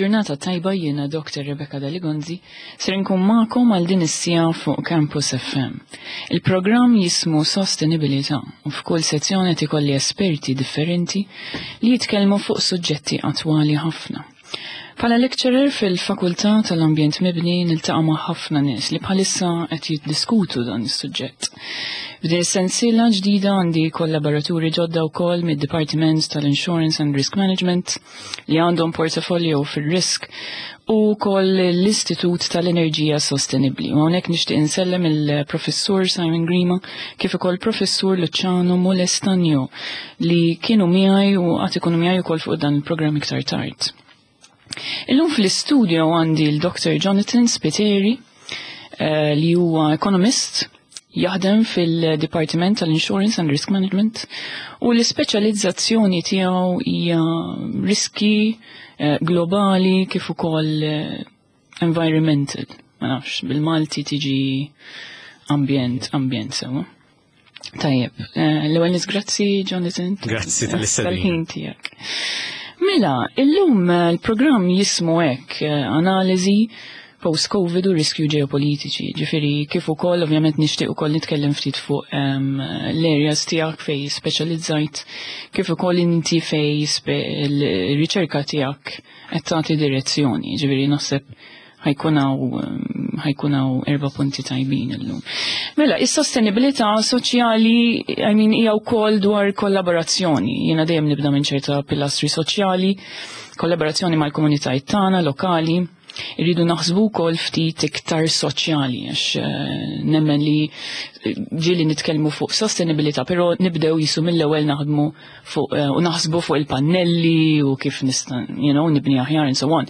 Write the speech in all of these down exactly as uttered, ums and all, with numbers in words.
Il-ġurnata tajba. Jiena Doktor Rebecca Daligonzi, ser nkun magħkom għal din is-siegħa fuq Campus F M. Il-programm jismu Sostenibilità u f'kull sezzjoni ikolli esperti differenti li jitkellmu fuq suġġetti attwali ħafna. Bħala lecturer fil-Fakultà tal-Ambjent Mibni niltaqa' ma' ħafna nies li bħalissa qed jiddiskutu dan is-suġġett. F'din is-sensiela ġdida għandi kollaboraturi ġodda wkoll mid-Dipartiment tal-Insurance and Risk Management li għandhom portafolio fir-risk u wkoll l-Istitut tal-Enerġija Sostenibbli. U hawnhekk nixtieq insellem il-Professur Simon Grima kif ukoll Professur Luciano Molestanio li kienu miegħi u għad ikunu miegħi wkoll fuq dan il-programm iktar tard. Illum fl-istudio għandi l-Doktor Jonathan Spiteri eh, li huwa ekonomist jaħdem fil-Dipartiment tal-Insurance and Risk Management u l-ispeċjalizzazzjoni tiegħu hija riski eh, globali kif ukoll eh, environmental. Ma nafx, bil-Malti tiġi ambjent, ambjent sewa. Tajjeb, l-ewwel nies, grazzi, Jonathan. Grazzi tal-istedina. Tal-ħin tiegħek. Mela, illum eh, il-programm jismu hekk, eh, analiżi post-Covid u riskju ġeopolitiċi. Ġifieri kif ukoll ovvjament nixtieq ukoll nitkellem ftit fuq um, l-areas tiegħek fej speċjalizzajt, kif ukoll inti fej l-riċerka tiegħek qed tagħti direzzjoni. Ġifieri naħseb ħa jkun hawn ħa jkun hawn erba' punti tajbin illum. Mela, is-sostenibilità soċjali, I mean, hija wkoll dwar kollaborazzjoni. Jiena dejjem nibda minn ċerta pilastri soċjali, kollaborazzjoni mal-komunitajiet tagħna lokali. Irridu naħsbu wkoll ftit iktar soċjali għax eh, nemmen li ġieli nitkellmu fuq sostenibilità, però nibdew jisu mill-ewwel naħdmu fuq eh, u naħsbu fuq il-pannelli u kif nista' you know, nibni aħjar and so on.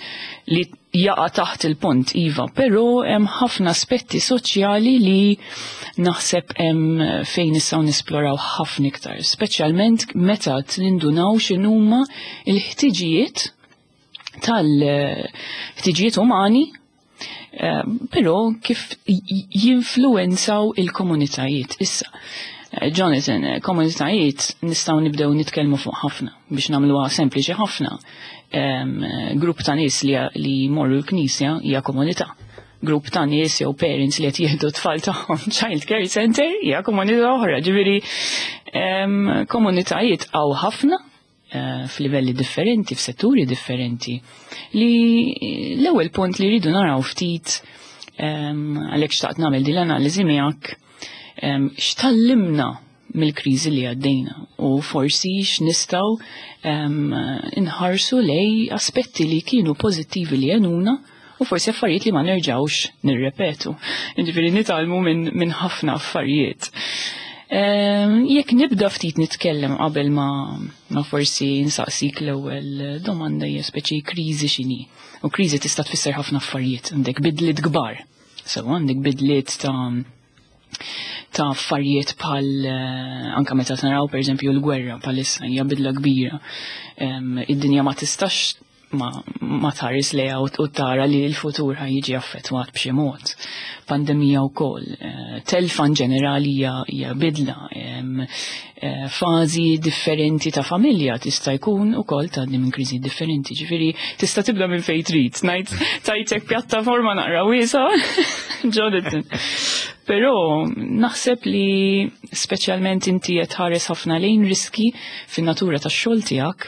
Li jaqa' taħt il-punt, iva, però hemm ħafna aspetti soċjali li naħseb hemm fejn nistgħu nisploraw ħafna iktar, speċjalment meta nindunaw x'inhuma il-ħtiġijiet tal-ħtiġijiet umani, eh, però kif jinfluenzaw il-komunitajiet. Issa, eh, Jonathan, eh, komunitajiet nistgħu nibdew nitkellmu fuq ħafna biex nagħmluha sempliċi ħafna. Grupp ta' nies li, li morru l-knisja hija komunità. Grupp ta' nies jew parents li qed jieħdu tfal tagħhom child care center hija komunità oħra. Ġifieri komunitajiet hawn ħafna eh, f'livelli differenti, f'setturi differenti, li l-ewwel punt li rridu naraw ftit, għalhekk xtaqt nagħmel din l-analiżi miegħek, x'tgħallimna mill-kriżi li għaddejna u forsi x'nistgħu inħarsu lej aspetti li kienu pożittivi li għenuna u forsi affarijiet li ma nerġawx nirrepetu. Ġifieri nitgħallmu minn min ħafna affarijiet. Jekk nibda ftit nitkellem qabel ma, ma forsi nsaqsik l-ewwel domanda, hija speċi kriżi x'inhi. U kriżi tista' tfisser ħafna affarijiet, għandek bidliet kbar. So għandek bidliet ta' ta' affarijiet bħal eh, anka meta naraw, pereżempju, l-gwerra bħalissa hija bidla kbira. Id-dinja ma tistax ma, ma tħares lejha u tara li l-futur ħa jiġi affettwat b'xi mod. Pandemija wkoll, eh, telfa ġenerali hija bidla, eh, fażi differenti ta' familja tista' jkun ukoll tgħaddi minn kriżi differenti. Ġifieri tista' tibda minn fejn trid, ngħid tajtek pjattaforma naqra wiesa, Jonathan. Però naħseb li speċjalment inti qed tħares ħafna lejn riski fin-natura tax-xogħol tiegħek.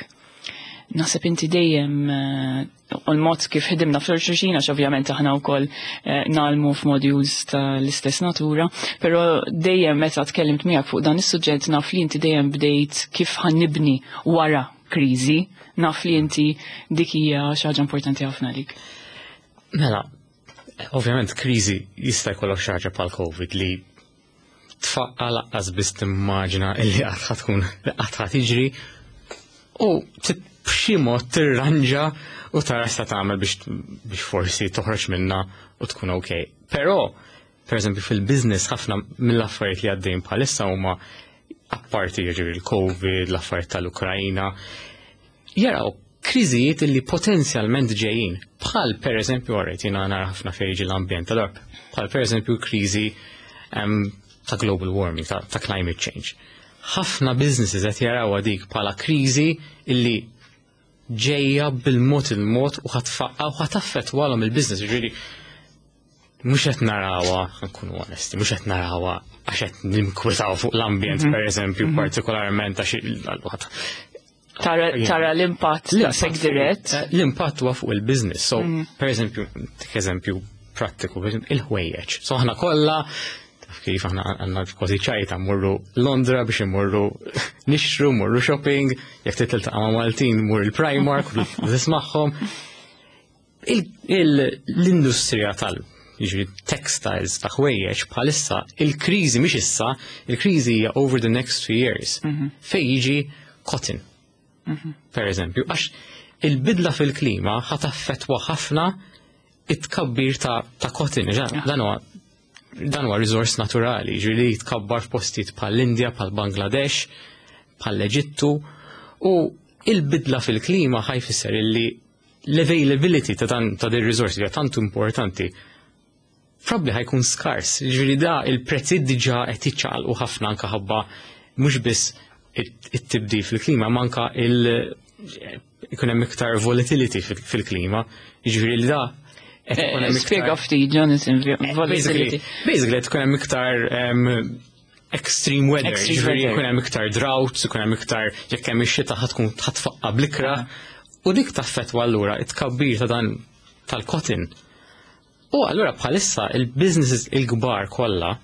Naħseb inti dejjem eh, u l-mod kif ħdimna fl-xulxin, għax ovvjament aħna wkoll eh, ngħallmu f'modules tal-istess natura, però dejjem meta tkellimt miegħek fuq dan is-suġġett naf li inti dejjem bdejt kif ħa nibni wara kriżi, naf li inti dik hija xi ħaġa importanti ħafna lik. Mela, ovvjament kriżi jista' jkollok xi ħaġa bħal Covid li tfaqqa laqqas biss timmaġina illi qatt tkun qatt tiġri u b'xi mod tirranġa u tara x'ta tagħmel biex biex forsi toħroġ minna u tkun ok. Però, per eżempju, fil-business ħafna mill-affarijiet li għaddejn bħalissa huma, apparti jiġifieri l-Covid, l-affarijiet tal-Ukrajna, jaraw kriżijiet li potenzjalment ġejjin. Bħal per eżempju, għarret jiena nara ħafna fejn l-ambjent, allora bħal per eżempju kriżi ta' global warming, ta', ta climate change. Ħafna businesses qed jaraw dik bħala kriżi illi Ġejja bil-mod il-mod u ħa tfaqqa' u ħa taffettwalhom il-business. Ġifieri mhux qed narawha, nkunu onesti, mhux qed narawha għax qed ninkwetaw fuq l-ambjent, per eżempju, partikolarment għax Tara, tara l-impatt daqshekk dirett. Eh, L-impatt huwa fuq il-business. So, per eżempju, tik eżempju prattiku, per eżempju, il-ħwejjeġ. So aħna kollha taf kif aħna għandna kważi ċajta mmorru Londra biex immorru nixtru, mmorru shopping, jekk tiltaqa' ma' Maltin mur il-Primark, tismagħhom. L-industrija tal jiġri textiles, ta' ħwejjeġ, bħalissa il-kriżi mhix issa, il-kriżi hija over the next two years. Fej jiġi cotton. Per eżempju, għax il-bidla fil-klima ħa taffettwa ħafna it-tkabbir ta', ta cotton, dan huwa dan huwa riżors naturali, ġifieri jitkabbar f'postijiet bħall-Indja, bħal Bangladesh, bħall-Eġittu, u il-bidla fil-klima ħa jfisser illi l-availability ta' dan ta' din resource li tantu importanti probably ħa jkun skars. Ġifieri da il-prezzi diġà qed jiċċaqalqu ħafna anke ħabba mhux biss it-tibdil fil-klima, ma anka il ikun hemm iktar volatility fil-klima. Ġifieri li da qed ikun hemm Spjega ftit, Jonathan, volatility. Basically qed ikun hemm iktar extreme weather, ġifieri ikun hemm iktar droughts, ikun hemm iktar, jekk hemm ix-xita ħa tkun ħa tfaqqa' bl-ikrah, u dik taffettwa allura it-tkabbir ta' dan tal-cotton. U allura bħalissa il-businesses il-kbar kollha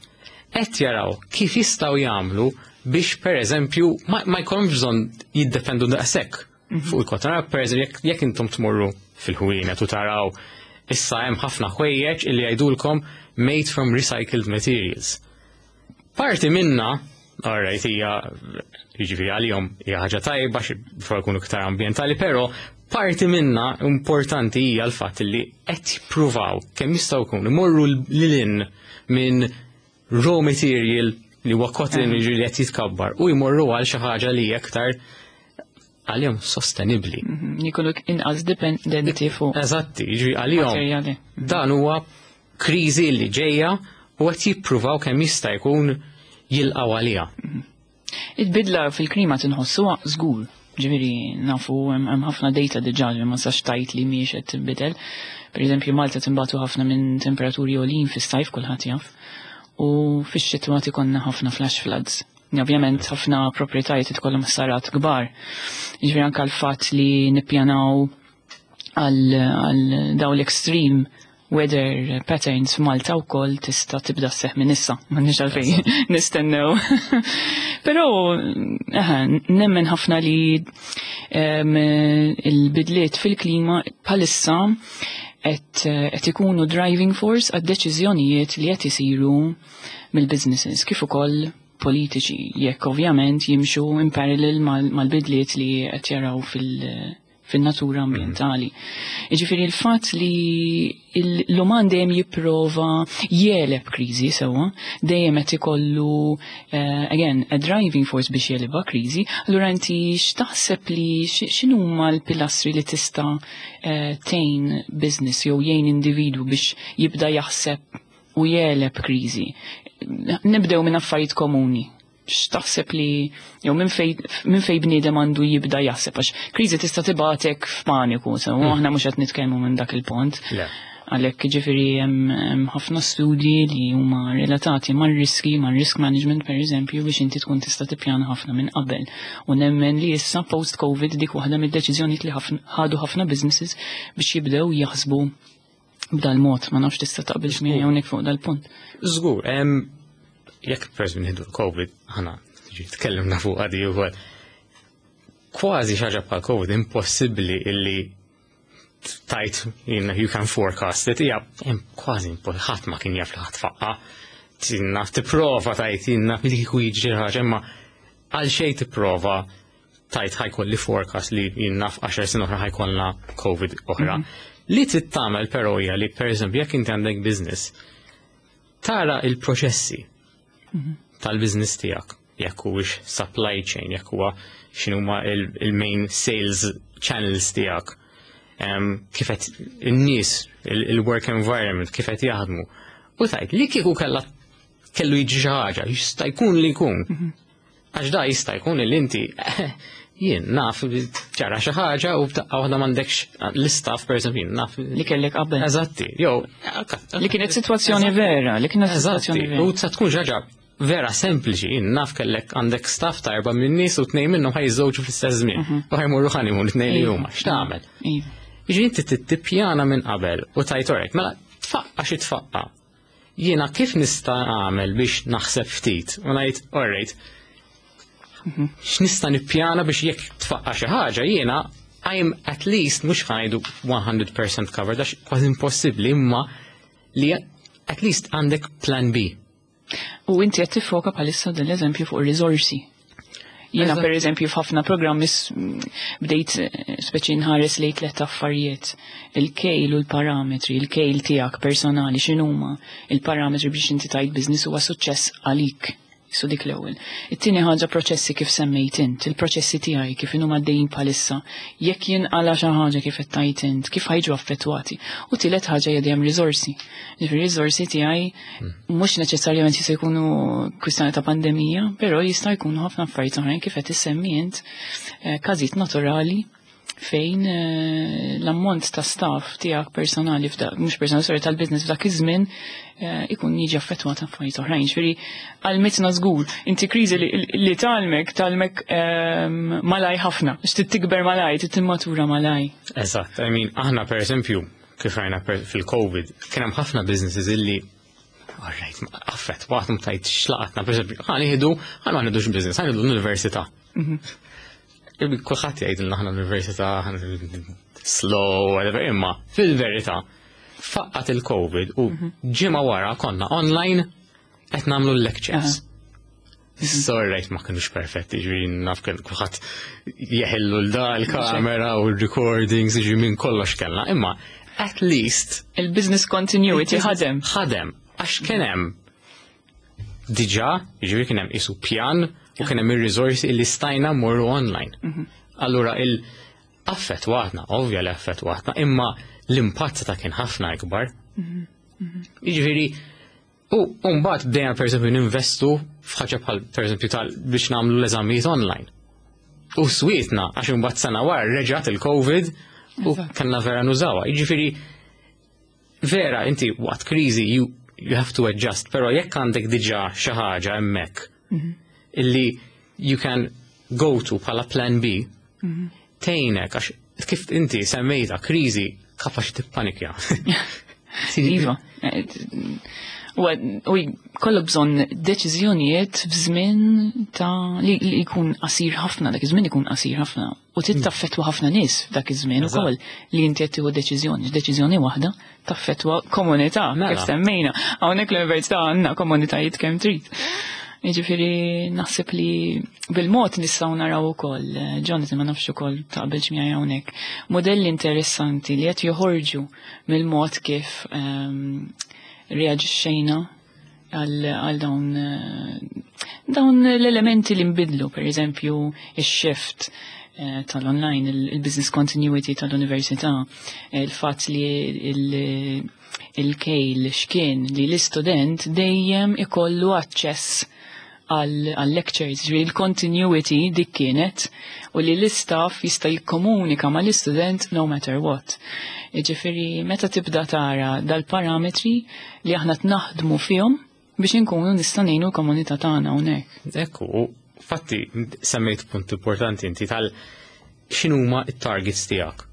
qed jaraw kif jistgħu jagħmlu biex, per eżempju, ma, ma jkollhomx bżonn jiddependu daqshekk fuq il-cotton. Per eżempju, jekk intom tmorru fil-ħwienet u taraw, issa hemm ħafna ħwejjeġ illi jgħidulkom "made from recycled materials". Parti minna, alright, hija, jiġifieri għalihom hija ħaġa tajba xi jkunu iktar ambjentali, però parti minna importanti hija l-fatt li qed jippruvaw kemm jistgħu jkunu imorru lil minn raw material li huwa cotton, jiġifieri li qed jitkabbar, u jmorru għal xi ħaġa li hija aktar għalihom sostenibbli. Jkunu inqas dipendenti fuq. Eżatti, jiġifieri għalihom dan huwa kriżi li ġejja u qed jippruvaw kemm jista' jkun jilqgħu għaliha. Il-bidla fil-klima tinħossuha żgur. Ġifieri nafu hemm ħafna data diġà li ma sax tajt li mhijiex qed tinbidel. Per eżempju, Malta tinbatu ħafna minn temperaturi għolin fis-sajf, kulħadd jaf. U fix-xitwa ikollna ħafna flash floods. Ovvjament ħafna proprjetajiet ikollhom ħsarat kbar. Ġifieri anke l-fatt li nippjanaw għal dawn l-extreme weather patterns f'Malta wkoll tista' tibda sseħħ minn issa, m'għandniex għalfejn nistennew. Però nemmen ħafna li il-bidliet fil-klima bħalissa qed ikunu driving force għad deċiżjonijiet li qed isiru mill-businesses kif ukoll politiċi, jekk ovvjament jimxu in parallel mal-bidliet li qed jaraw fil- fin-natura ambientali. Jiġifieri il-fatt li l-uman dejjem jipprova jegħleb kriżi sewwa, dejjem qed ikollu uh, again a driving force biex jegħlebha kriżi, allura inti x'taħseb li x'inhuma l-pilastri li tista' uh, tgħin business jew jgħin individwu biex jibda jaħseb u jegħleb kriżi? Nibdew minn affarijiet komuni, x'taħseb li jew minn fej minn fej bniedem għandu jibda jaħseb, għax kriżi tista' tibgħatek f'paniku, so mm. aħna mhux qed nitkellmu minn dak il-punt. Għalhekk, ġifieri, hemm ħafna studji li huma relatati mar-riski, mar-risk management, per eżempju, biex inti tkun tista' tippjana ħafna minn qabel. U nemmen li issa post-Covid dik waħda mid-deċiżjonijiet li ħadu ħafna businesses biex jibdew jaħsbu b'dal-mod. Ma nafx tista' taqbilx miegħi hawnhekk fuq dal-punt. Żgur, jekk per nieħdu l-Covid, aħna tkellimna fuq għadi u kważi xi ħaġa bħal Covid impossibbli illi tajt you can forecast it, hija kważi ħadd ma kien jaf li ħa tfaqqa'. Naf tipprova tajt naf li kieku jiġri ħaġa, imma għal xejn tipprova tajt ħa jkolli forecast li naf għaxar snin oħra ħa jkollna Covid oħra. Mhm. Li trid tagħmel però hija li, per eżempju, jekk inti għandek business, tara il-proċessi mhm. tal-business tiegħek, jekk huwiex supply chain, jekk huwa x'inhuma il-main sales channels tiegħek, kif qed in-nies, il-work environment, kif qed jaħdmu. U tajt li kieku kellha kellu jiġi xi ħaġa, jista' jkun li jkun. Mhm. Għax da jista' jkun li inti Jien naf li ġara xi ħaġa u b'daqqa waħda m'għandekx l-istaff, per eżempju, jien naf Li kellek qabel. Eżatti, jew Li kienet sitwazzjoni vera, li kienet Eżatti, sitwazzjoni u vera. sa tkun xi ħaġa vera sempliċi, jien naf kellek għandek staff ta' erba' minn nies u tnejn minnhom ħa jiżżewġu fl-istess żmien. U ħa jmorru honeymoon it-tnejn li Iva. huma. X'tagħmel? Iva. Jiġi inti tippjana minn qabel u tgħid alright, mela tfaqqa xi tfaqqa. Jiena kif nista' nagħmel biex naħseb ftit u ngħid alright, x'nista' nippjana biex jekk tfaqqa xi ħaġa, jiena I'm at least, mhux ħa ngħidu mija fil-mija covered għax kważi impossibbli, imma li at least għandek plan B. U inti qed tiffoka bħalissa dan l-eżempju fuq ir-riżorsi. Jiena Eżatt. per eżempju f'ħafna programmi s- bdejt eh, speċi nħares lejn tliet affarijiet. Il-kejl u l-parametri, il-kejl tiegħek personali x'inhuma, il-parametri biex inti tgħid business huwa suċċess għalik. Su dik l-ewwel. It-tieni ħaġa proċessi kif semmejt int, il-proċessi tiegħi kif inhuma għaddejjin bħalissa, jekk jinqala xi ħaġa kif qed tgħid int, kif ħa jiġu affettwati. U tielet ħaġa hija dejjem riżorsi. Ġifieri riżorsi tiegħi mhux neċessarjament jista' jkunu kwistjoni ta' pandemija, però jista' jkunu ħafna affarijiet oħrajn kif qed issemmi int, eh, każijiet naturali fejn eh, l-ammont ta' staff tiegħek personali f'dak, mhux personali, sorry, tal-business f'dak iż-żmien eh, ikun jiġi affettwat affarijiet oħrajn. Ġifieri għallmitna żgur, inti kriżi li, li tgħallmek, tgħallmek ehm, malaj ħafna, għax trid tikber malaj, trid timmatura malaj. Eżatt, I mean, aħna per eżempju, kif rajna per- fil-Covid, kien hemm ħafna businesses illi alright, affettwathom tajt xlaqatna, per eżempju, ħa nieħdu, ħa ma nieħdux business, ħa nieħdu l-università. Kulħadd jgħidilna aħna l-università ħa- slow, whatever, imma fil-verità faqqat il-Covid u ġimgħa wara konna online qed nagħmlu l-lectures. Sorry, ma kienux perfetti, ġifieri naf kien kulħadd jeħillu l-da l-kamera u l-recordings, ġifieri minn kollox kellna, imma at least Il-business continuity ħadem. Ħadem, għax kien hemm diġà, ġifieri kien hemm isu pjan u kien hemm ir-riżorsi li stajna mmorru online. Allura il affettwatna, ovvja li affettwatna, imma l-impatt ta' kien ħafna ikbar. Jiġifieri, u mbagħad bdejna per eżempju ninvestu f'ħaġa bħal per eżempju tal biex nagħmlu l-eżamijiet online. U swietna għax imbagħad sena wara reġgħet il-Covid u Eżatt. kellna vera nużawha. Jiġifieri vera inti waqt kriżi you, you have to adjust, però jekk għandek diġà xi ħaġa hemmhekk illi you can go to bħala plan B, tgħinek għax kif inti semmejta kriżi kapaċi tippanikja. Iva. Eh, U u kollok bżonn deċiżjonijiet f'żmien ta' li li jkun qasir ħafna, dak iż-żmien ikun qasir ħafna. U trid taffettwa ħafna nies f'dak iż-żmien Eżatt. ukoll li inti qed tieħu deċiżjoni. Deċiżjoni waħda taffettwa komunità, Mela. kif semmejna. Hawnhekk l-università għandna komunitajiet kemm trid. Jiġifieri naħseb li bil-mod nistgħu naraw ukoll, eh, Jonathan, ma nafx ukoll taqbilx miegħi hawnhekk, modelli interessanti li qed joħorġu mill-mod kif ehm, reaġixxejna għal għal dawn eh, dawn l-elementi li nbidlu, per eżempju, il-shift eh, tal-online, il- il-business continuity tal-università, il-fatt li il- il-kejl x'kien li l-istudent dejjem ikollu aċċess għal lectures, ġifieri il-continuity dik kienet u li l-istaff jista' jikkomunika mal-istudent no matter what. Ġifieri meta tibda tara dal-parametri li aħna naħdmu fihom biex inkunu nista' ngħinu l-komunità tagħna hawnhekk. Ekku, u fatti semmejt punt importanti inti tal x'inhuma it-targets tiegħek.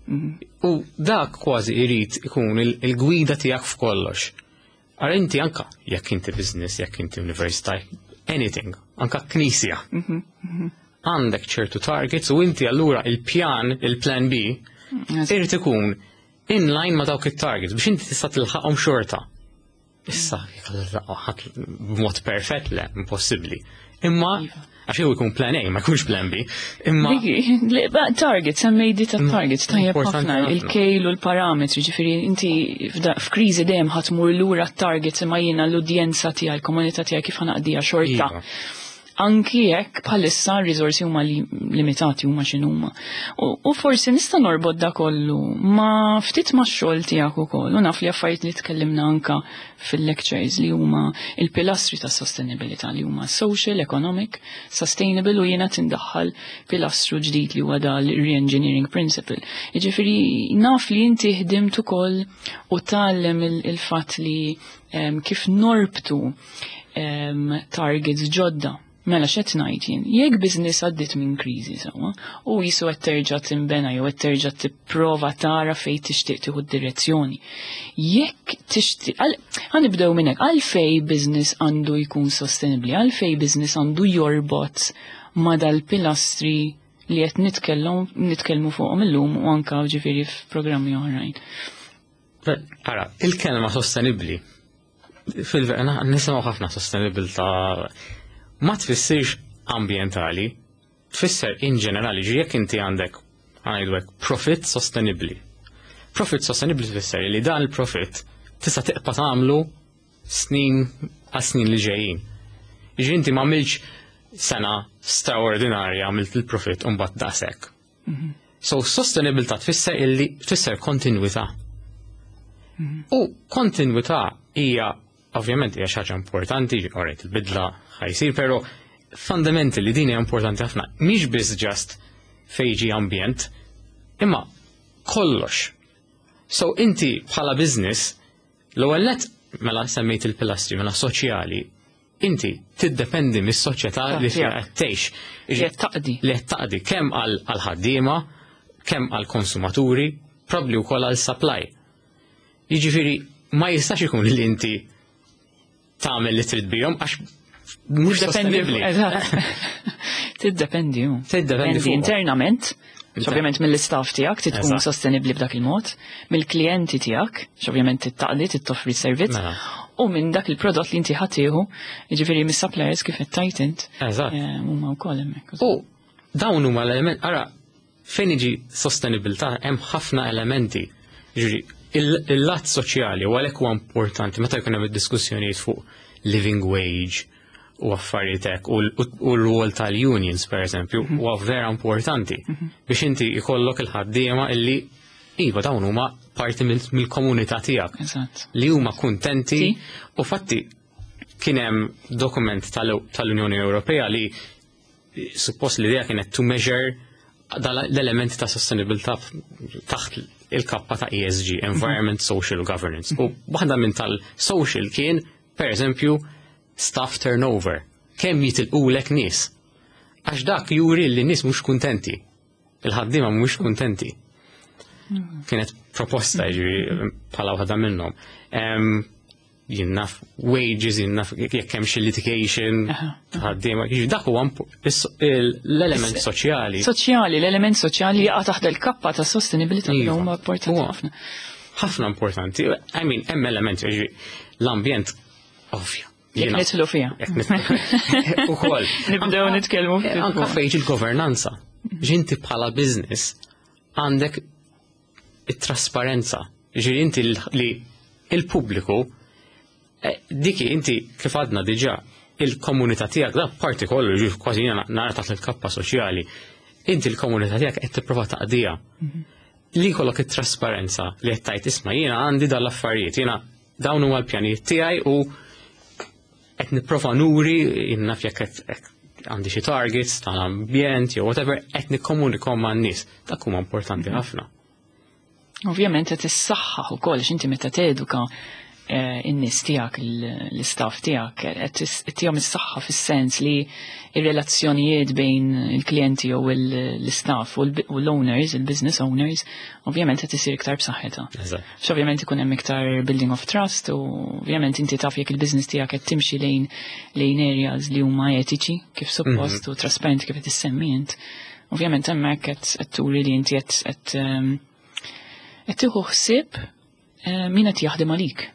U dak kważi irid ikun il- il-gwida tiegħek f'kollox. Għar inti anka jekk inti business, jekk inti università, anything, anka knisja. Għandek ċertu targets u inti allura il-pjan, il-plan B, irid ikun in line ma dawk it-targets biex inti tista' tilħaqhom xorta. Issa, jekk b'mod perfett le, impossibbli. Imma, Iva. għax jew ikun plan A, ma jkunx plan B. Imma Diki, li- ba- targets, semmejdi ta' targets, tajjeb Importanti ħafna, ħafna. il-kejl u l-parametri, ġifieri inti f'da- f'kriżi dejjem ħa tmur lura t-targets imma jiena l-udjenza tiegħi, l-komunità tiegħi kif ħa naqdiha xorta. Iva. Anki jekk bħalissa r-riżorsi huma li limitati huma x'inhuma. U, u forsi nista' norbot da kollu ma ftit ma' xogħol tiegħek ukoll u naf li affarijiet li tkellimna anka fil-lectures li huma il-pilastri ta' sostenibilità li huma social, economic, sustainable u jiena tindaħħal pilastru ġdid li huwa dal-re-engineering principle. Jiġifieri naf li inti ħdimt ukoll u tgħallem il-fatt li em, kif norbtu em, targets ġodda. Mela x'qed ngħid jien, jekk business għaddit minn kriżi sewwa, u jisu qed terġa' tinbena jew qed terġa' tipprova tara fejn tixtieq tieħu d-direzzjoni. Jekk tixtieq, ħa nibdew minn hekk, għalfej business għandu jkun sostenibbli, għalfej business għandu jorbot ma dal-pilastri li qed nitkellmu nitkellmu fuqhom illum u anka ġifieri f'programmi oħrajn. Ara, il-kelma sostenibli, fil-vera, nisimgħu ħafna sostenibilità, ma tfissirx ambientali, tfisser in ġenerali, ġi jekk inti għandek, għajdu hekk, profit sostenibli. Profit sostenibli tfisser li dan il-profit tista' tibqa' tagħmlu snin għal snin li ġejjin. Ġi inti ma għamilx sena straordinarja għamilt il-profit u mbagħad daqshekk. So sostenibilità tfisser illi tfisser kontinwità. U kontinwità hija ovvjament hija xi ħaġa importanti, alright, il-bidla ħa jsir, però fundamentally din hija importanti ħafna. Mhix biss just fejn ambjent, imma kollox. So inti bħala business, l-ewwel net mela semmejt il-pilastri mela soċjali, inti tiddependi mis-soċjetà li fiha qed tgħix. Li qed taqdi. Li qed taqdi kemm għal ħaddiema, kemm għal konsumaturi, probably wkoll għal supply. Jiġifieri ma jistax ikun li inti tagħmel li trid bihom għax mhux sostenibbli. Eżatt. Tiddependi. hu. Tiddependi fuqhom. internament, ovvjament mill-istaff tiegħek trid tkun Eżatt. sostenibbli b'dak il-mod, mill-klijenti tiegħek, ovvjament tittaqdi, tittoffri servizz, Mela. u minn dak il-prodott li inti ħa tieħu, jiġifieri mis-suppliers kif qed tgħid int, Eżatt. eh, huma wkoll hemmhekk. U dawn huma l-element, ara, fejn iġi sostenibilità hemm ħafna elementi. Ġifieri, il-lat soċjali u għalhekk huwa importanti meta jkun hemm id-diskussjonijiet fuq living wage u affarijiet hekk u u r-rwol tal-unions per eżempju huwa vera importanti biex inti jkollok il-ħaddiema illi iva dawn huma parti mill- mill-komunità tiegħek Eżatt. li huma kuntenti Sì. u fatti kien hemm dokument tal- tal-Unjoni Ewropea li suppost l-idea kienet to measure dal- l-elementi ta' sostenibilità taħt il-kappa ta' E S G, Environment, Social Governance. U waħda minn tal-social kien, per eżempju, staff turnover. Kemm jitilqulek nies? Għax dak juri li nies mhux kuntenti. Il-ħaddiema mhux kuntenti. Kienet proposta ġifieri bħala waħda minnhom. Em, Jien naf wages, jien naf jekk hemm xi litigation, ħaddiema, jiġifieri dak huwa impo- is- il- l-element soċjali. Soċjali, l-element soċjali jaqa' taħt il-kappa ta' sostenibilità li Iva. huma importanti Huwa. ħafna. Ħafna importanti. I mean, hemm elementi, ġifieri, l-ambjent ovvja. Jekk Jiena- nidħlu fiha. Jekk nidħlu. Ukoll. Nibdew nitkellmu ftit Anka fuq. fejn il-governanza. Ġinti bħala business għandek it-trasparenza. Ġifieri inti l- li il-pubbliku eh, diki inti kif għadna diġà il-komunità tiegħek da parti kollu ġifieri kważi jiena nara taħt il-kappa soċjali. Inti l-komunità tiegħek qed tipprova taqdija. Li jkollok it-trasparenza li qed tgħid isma' jiena għandi dal-affarijiet, jiena dawn huma l-pjanijiet tiegħi u qed nipprova nuri jien naf jekk qed qed għandi xi targets tal-ambjent jew whatever qed nikkomunikom man-nies. Dak huma importanti ħafna. Ovvjament qed issaħħaħ ukoll għax inti meta teduka eh, in-nies tiegħek, l- l-istaff tiegħek, qed is- tihom is-saħħa fis-sens li ir-relazzjonijiet bejn il-klijenti jew il- l-istaff u l- u l-owners, il-business owners, ovvjament qed isir iktar b'saħħitha. Eżatt. X'ovvjament ikun hemm iktar building of trust u ovvjament inti taf jekk il-business tiegħek qed timxi lejn lejn areas li huma etiċi kif suppost u trasparenti kif qed issemmi int. Ovvjament hemmhekk qed qed turi li inti qed qed ehm, qed tieħu ħsieb eh, min qed jaħdem għalik.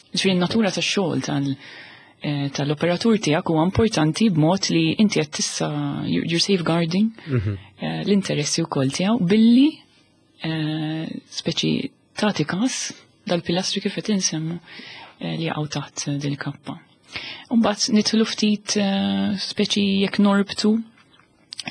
Ġifieri n-natura tax-xogħol tal eh, tal-operatur tiegħek huwa importanti b'mod li inti qed tissa you're safeguarding eh, l-interessi wkoll tiegħu billi eh, speċi tagħti każ dal-pilastri kif qed insemmu eh, li jaqgħu taħt din il-kappa. Mbagħad nidħlu ftit eh, speċi jekk norbtu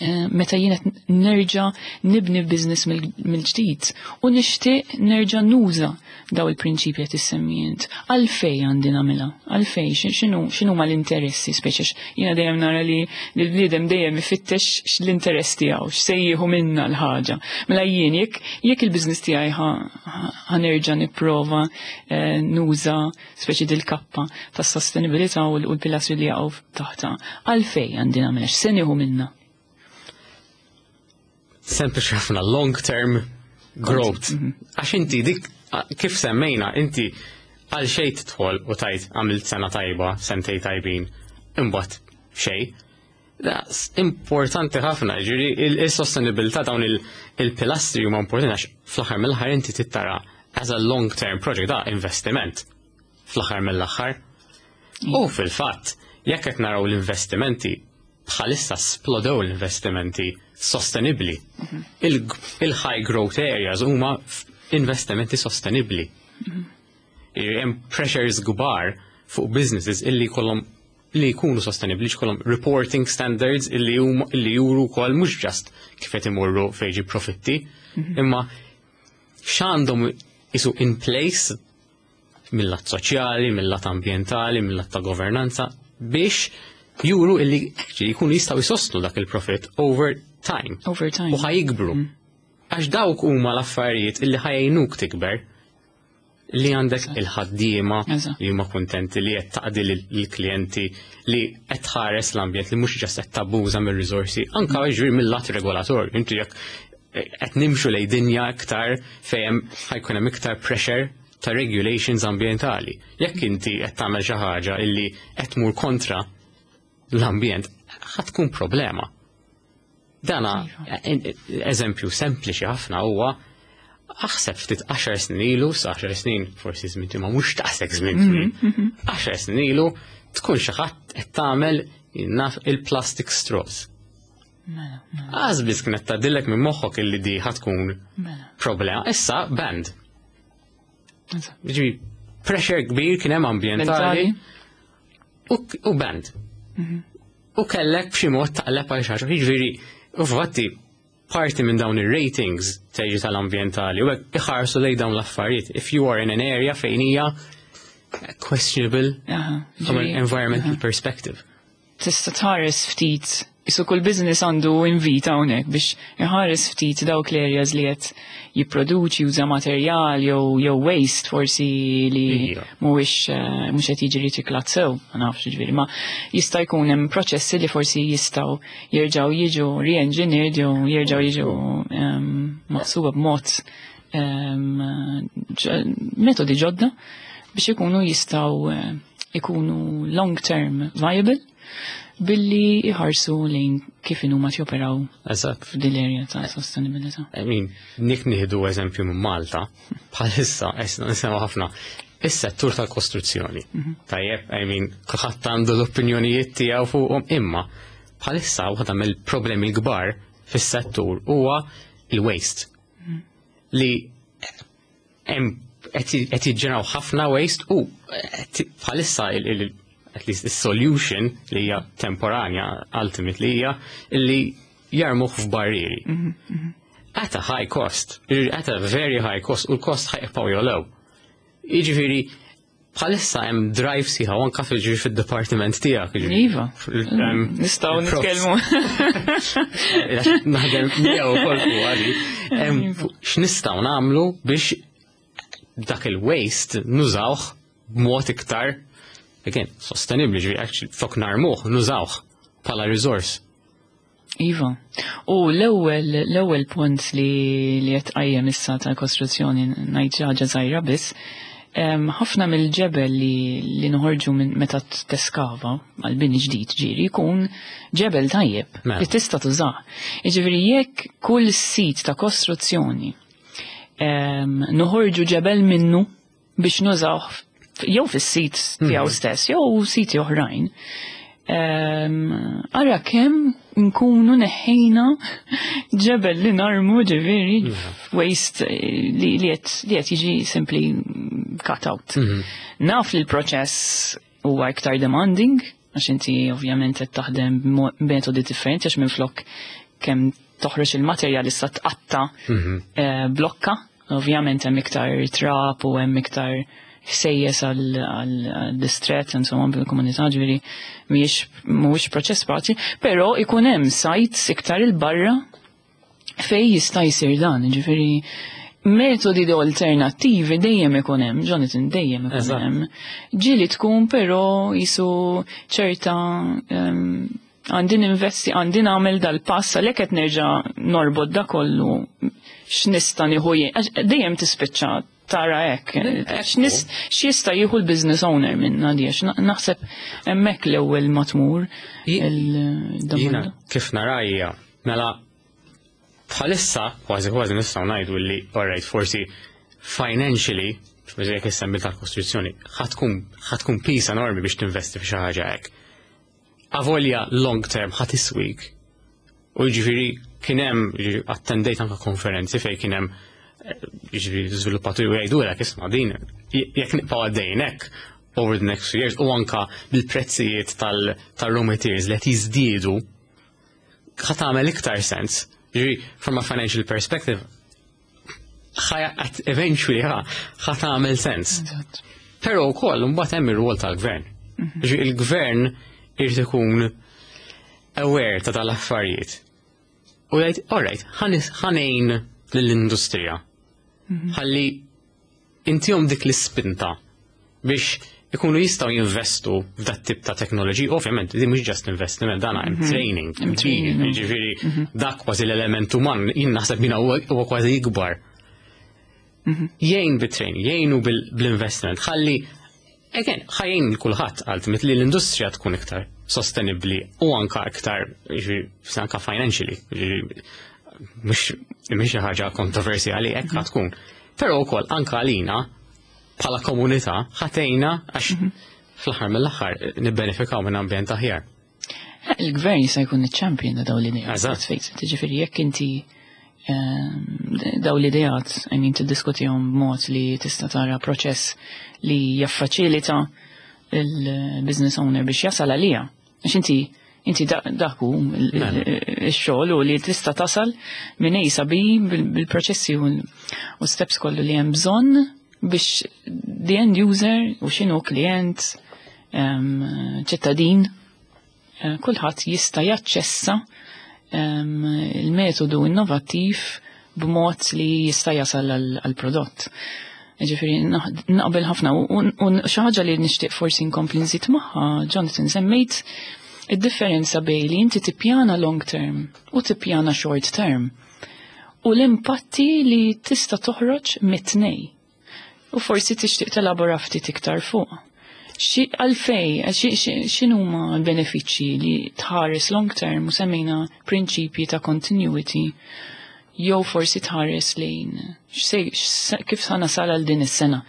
eh, meta jien qed nerġa' nibni business mill-ġdid u nixtieq nerġa' nuża daw il-prinċipji qed issemmi int. Għalfej għandi nagħmilha? Għalfej x'inhu x'inhu ma l-interessi speċi jiena dejjem nara li l-bniedem dejjem ifittex l-interess tiegħu, x'se jieħu minna l-ħaġa. Mela jien jekk jekk il-business tiegħi ħa nerġa' nipprova eh, nuża speċi dil-kappa tas-sostenibilità u l-pilastri li jaqgħu taħta. Għalfej għandi nagħmilha, x'se nieħu minna? Sempliċi ħafna, long term growth. Mhm. Għax inti dik kif semmejna, inti għal xejn tidħol u tgħid għamilt sena tajba, sentej tajbin, imbagħad xejn. Da, importanti ħafna, ġiri il-sostenibilità, dawn il-pilastri huma importanti għax fl-aħħar mill-aħħar inti tittara as a long term project, da investiment fl-aħħar mill-aħħar. U fil-fatt, jekk qed naraw l-investimenti bħalissa, splodew l-investimenti sostenibli. Mhm. Il-high growth areas huma investimenti sostenibli. Hemm pressures kbar fuq businesses illi kollhom li jkunu sostenibli, jkollhom reporting standards illi illi juru wkoll mhux just kif qed imorru fejn profitti, mhm. imma x'għandhom isu in place mill-lat soċjali, mill-lat ambjentali, mill-lat ta' governanza biex juru illi actually jkunu jistgħu jsostnu dak il-profit over time. Over time. U ħa jikbru. Mm. Għax dawk huma l-affarijiet illi ħa jgħinuk tikber, li għandek il-ħaddiema li huma kuntenti, li qed taqdi lill-klijenti, li qed tħares l-ambjent, li mhux just qed tabbuża mir-riżorsi, anka jiġri mill-lat regolatorju. Inti jekk qed nimxu lejn dinja iktar fejn ħa jkun hemm iktar pressure ta' regulations ambjentali. Jekk inti qed tagħmel xi ħaġa illi qed tmur kontra l-ambjent, ħa tkun problema. Dana, eżempju sempliċi ħafna huwa, aħseb ftit għaxar snin ilu, sa għaxar snin forsi żmien ma mhux taqsek żmien twil. għaxar snin ilu tkun xi ħadd qed tagħmel, naf, il-plastic straws. Mela, mela, Għax biss kienet tgħaddilek minn moħħok illi di ħa tkun mela. problema. Issa banned. Eżatt. Ġifieri, pressure kbir kien hemm ambjentali u, u banned. U kellek b'xi mod taqleb għal xi ħaġa. Jiġifieri, u fatti parti minn dawn ir-ratings teġi tal-ambjentali u hekk iħarsu lejn dawn l-affarijiet. If you are in an area fejn hija questionable Aha, from an ġifieri, environmental perspective. Tista' tħares ftit, isu kull business għandu invit hawnhekk biex iħares ftit dawk l-areas li qed jipproduċi, juża materjal jew jew waste forsi li Iva. mhuwiex eh, mhux qed jiġi riċiklat sew, ma nafx ġifieri, ma jista' jkun hemm proċessi li forsi jistgħu jerġgħu jiġu re-engineered jew jerġgħu jiġu em, maħsuba b'mod em, ġ- metodi ġodda biex ikunu jistgħu eh, ikunu long term viable billi iħarsu lejn kif inhuma joperaw Eżatt. f'dil area ta' sostenibilità. I mean, nik nieħdu eżempju minn Malta, bħalissa, issa nisimgħu ħafna, is-settur tal-kostruzzjoni. Tajjeb, I mean, kulħadd għandu l-opinjonijiet tiegħu fuqhom, imma bħalissa waħda mill-problemi kbar fis-settur huwa il-waste. Li hemm qed qed jiġġeneraw ħafna waste u qed bħalissa il- il- at least is-solution li hija temporanja ultimately hija li jarmuh f'barrieri. At a high cost, at a very high cost, u l-cost ħa jibqgħu jogħlew. Jiġifieri, bħalissa hemm drive sħiħa anka fil fid-dipartiment tiegħek. Jiġifieri. Iva. Hemm Nistgħu il-prof- nitkellmu. Naħdem miegħu ukoll fuq għali. Hemm fuq x'nistgħu nagħmlu biex dak il-waste nużawh b'mod iktar, again, sostenibli, ġifieri actually flok narmuh, nużawh bħala resource. Iva. U l-ewwel l-ewwel punt li li qed qajjem issa tal-kostruzzjoni, ngħid xi ħaġa żgħira biss. em, ħafna mill-ġebel li, li noħorġu minn meta teskava għal bini ġdid ġiri jkun ġebel tajjeb Mela. li tista' tużah. Jiġifieri jekk kull sit ta' kostruzzjoni em, noħorġu ġebel minnu biex nużawh f- jew fis-sit tiegħu stess jew siti oħrajn. Em, Ara kemm nkunu neħħejna ġebel li narmu, ġifieri waste eh, li li qed li qed jiġi simply cut out. Naf li l-proċess huwa iktar demanding, għax inti ovvjament qed taħdem b'metodi differenti, għax minflok kemm toħroġ il-materjal issa tqatta Mhm. eh, blokka, ovvjament hemm iktar trab u hemm iktar ħsejjes għal distret insomma bil-komunità, ġifieri mhijiex mhuwiex proċess faċli, però ikun hemm sites iktar il-barra fej jista' jsir dan, ġifieri metodi alternattivi dejjem ikun hemm, Jonathan, dejjem ikun Eżatt. hemm. Ġieli tkun però jisu ċerta em, għandi ninvesti, għandi nagħmel dal-pass, għalhekk qed nerġa' norbot da kollu x'nista' nieħu jien, għax dejjem tispiċċa tara hekk, x'nis- x'jista' jieħu l-business owner minna di, għax na- naħseb hemmhekk l-ewwel ma tmur Jiena il-domanda. Kif narajja, mela bħalissa kważi kważi nistgħu ngħidu li, alright, forsi financially, forsi jekk issemmi tal-kostruzzjoni, ħa tkun ħa tkun piż enormi biex tinvesti f'xi ħaġa hekk. Avolja long term ħa tiswik. U jiġifieri kien hemm, jiġifieri attendejt anke konferenzi fejn kien hemm eh, jiġifieri żviluppaturi u jgħidulek, "Isma' din jekk nibqgħu għaddejjin hekk over the next few years u anka bil-prezzijiet tal-raw materials li qed jiżdiedu, ħa tagħmel iktar sens." Jiġifieri, from a financial perspective, ħa eventually ħa ħa tagħmel sens. Eżatt. Però wkoll mbagħad hemm ir-rwol tal-gvern. Jiġifieri il-gvern irid ikun aware ta' tal-affarijiet. U jgħid, "Alright, ħa ngħin lill-industrija. Ħalli intihom dik l-ispinta biex ikunu jistgħu jinvestu f'dat tip ta' teknoloġi." Ovvjament, di mhux just investiment, dan hemm training. Hemm training. Jiġifieri dak kważi l-element uman, jien naħseb mina huwa huwa kważi ikbar. Jgħin bit-training, jgħinu bil-investment, ħalli, again, ħa jgħin kulħadd ultimately l-industrija tkun iktar sostenibli u anka iktar, jiġifieri, anka financially, jiġifieri, mhux mhux xi ħaġa kontroversjali, hekk ħa tkun. Però wkoll anka għalina bħala komunità ħa tgħinna għax fl-aħħar mill-aħħar nibbenefikaw minn ambjent aħjar. Il-gvern jista' jkun iċ-champion ta' dawn l-ideat. Eżatt. Let's face it. Ġifieri jekk inti ehm, dawn l-ideat, I mean, tiddiskutihom b'mod li tista' tara proċess li jaffaċilita il-business owner biex jasal għalija. Għax inti inti da- dak hu il- Mela. il-xogħol u li tista' tasal minn A sa B bil- bil-proċessi u u steps kollu li hemm bżonn biex the end user u x'inhu klient, em, ċittadin, eh, kulħadd jista' jaċċessa em, il-metodu innovattiv b'mod li jista' jasal għal-prodott. Ġifieri naqbel ħafna u u xi ħaġa li nixtieq forsi nkompli nżid magħha, Jonathan, semmejt id-differenza bejn li inti tippjana long term u tippjana short term u l-impatti li tista' toħroġ mit-tnej. U forsi tixtieq telabora ftit iktar fuq. Xi għalfej, xi- xi- x'inhuma l-benefiċċji li tħares long term u semmejna prinċipji ta' continuity jew forsi tħares lejn x'se- x'se- kif sa nasal għal din is-sena?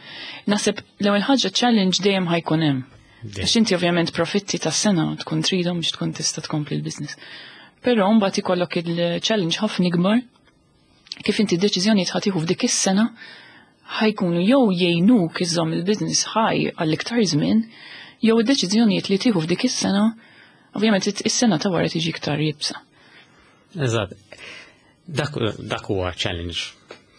Naħseb l-ewwel ħaġa, challenge dejjem ħa jkun hemm. Għax inti ovvjament profitti tas-sena tkun tridhom biex tkun tista' tkompli l-business. Però mbagħad ikollok il-challenge ħafna ikbar kif inti d-deċiżjoni ħa tieħu f'dik is-sena ħa jkunu jew jgħinuk iżżomm il-business ħaj għall-iktar żmien, jew id-deċiżjonijiet li tieħu f'dik is-sena, ovvjament is-sena ta' wara tiġi iktar iebsa. Eżatt. Dak dak huwa challenge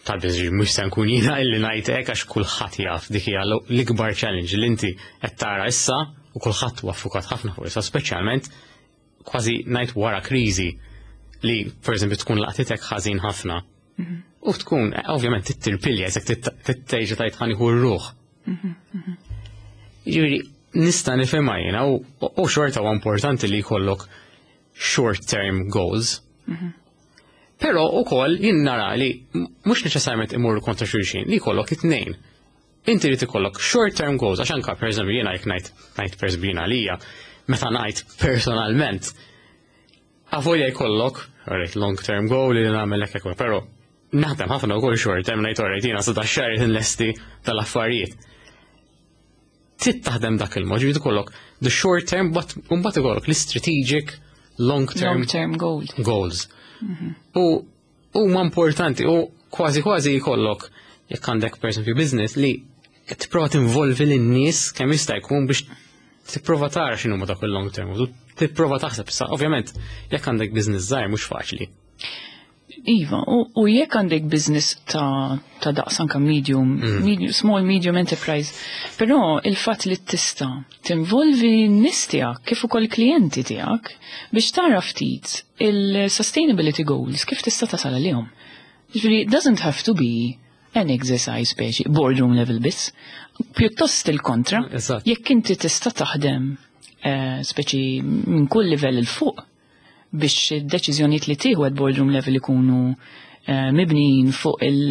tal-business, mhux se nkun jiena illi ngħid hekk għax kulħadd jaf dik hija l-ikbar challenge li inti qed tara issa u kulħadd huwa ffukat ħafna fuq issa, speċjalment kważi ngħid wara kriżi li pereżempju tkun laqtitek ħażin ħafna. U tkun, eh, ovvjament, tittirpilja, jekk titteġa tajt ħa nieħu r-ruħ. Ġifieri, nista' nifhimha jiena u u xorta huwa importanti li jkollok short term goals. Però ukoll jien nara li mhux neċessarjament imorru kontra xulxin, li jkollok it-tnejn. Inti li ikollok short term goals, għax anka pereżempju jiena jekk ngħid ngħid pereżempju jiena għalija, meta ngħid personalment, avolja jkollok, alright, long term goal li nagħmel hekk hekk, però naħdem ħafna wkoll short term, ngħid, "Alright, jiena sa xahar nlesti tal-affarijiet." Trid taħdem dak il-mod, ġifieri ikollok the short term, but mbagħad ikollok l-strategic long term Long term goal. Goals. U huma importanti u kważi kważi jkollok, jekk għandek per esempio business, li tipprova tinvolvi lin-nies kemm jista' jkun biex Tipprova tara x'inhu ma dak il-long term, u tipprova taħseb issa, ovvjament, jekk għandek business żgħir mhux faċli. Iva, u, u jekk għandek business ta', ta' daqs anka medium, mm. medium, small medium enterprise, però il-fatt li tista' tinvolvi n-nies tiegħek kif ukoll klijenti tiegħek biex tara ftit il-sustainability goals kif tista' tasal għalihom. Ġifieri, it doesn't have to be an exercise speċi boardroom level biss. Pjuttost il-kontra, Eżatt. jekk inti tista' taħdem eh, speċi minn kull livell 'il fuq biex id-deċiżjonijiet li tieħu at boardroom level ikunu eh, mibnijin fuq il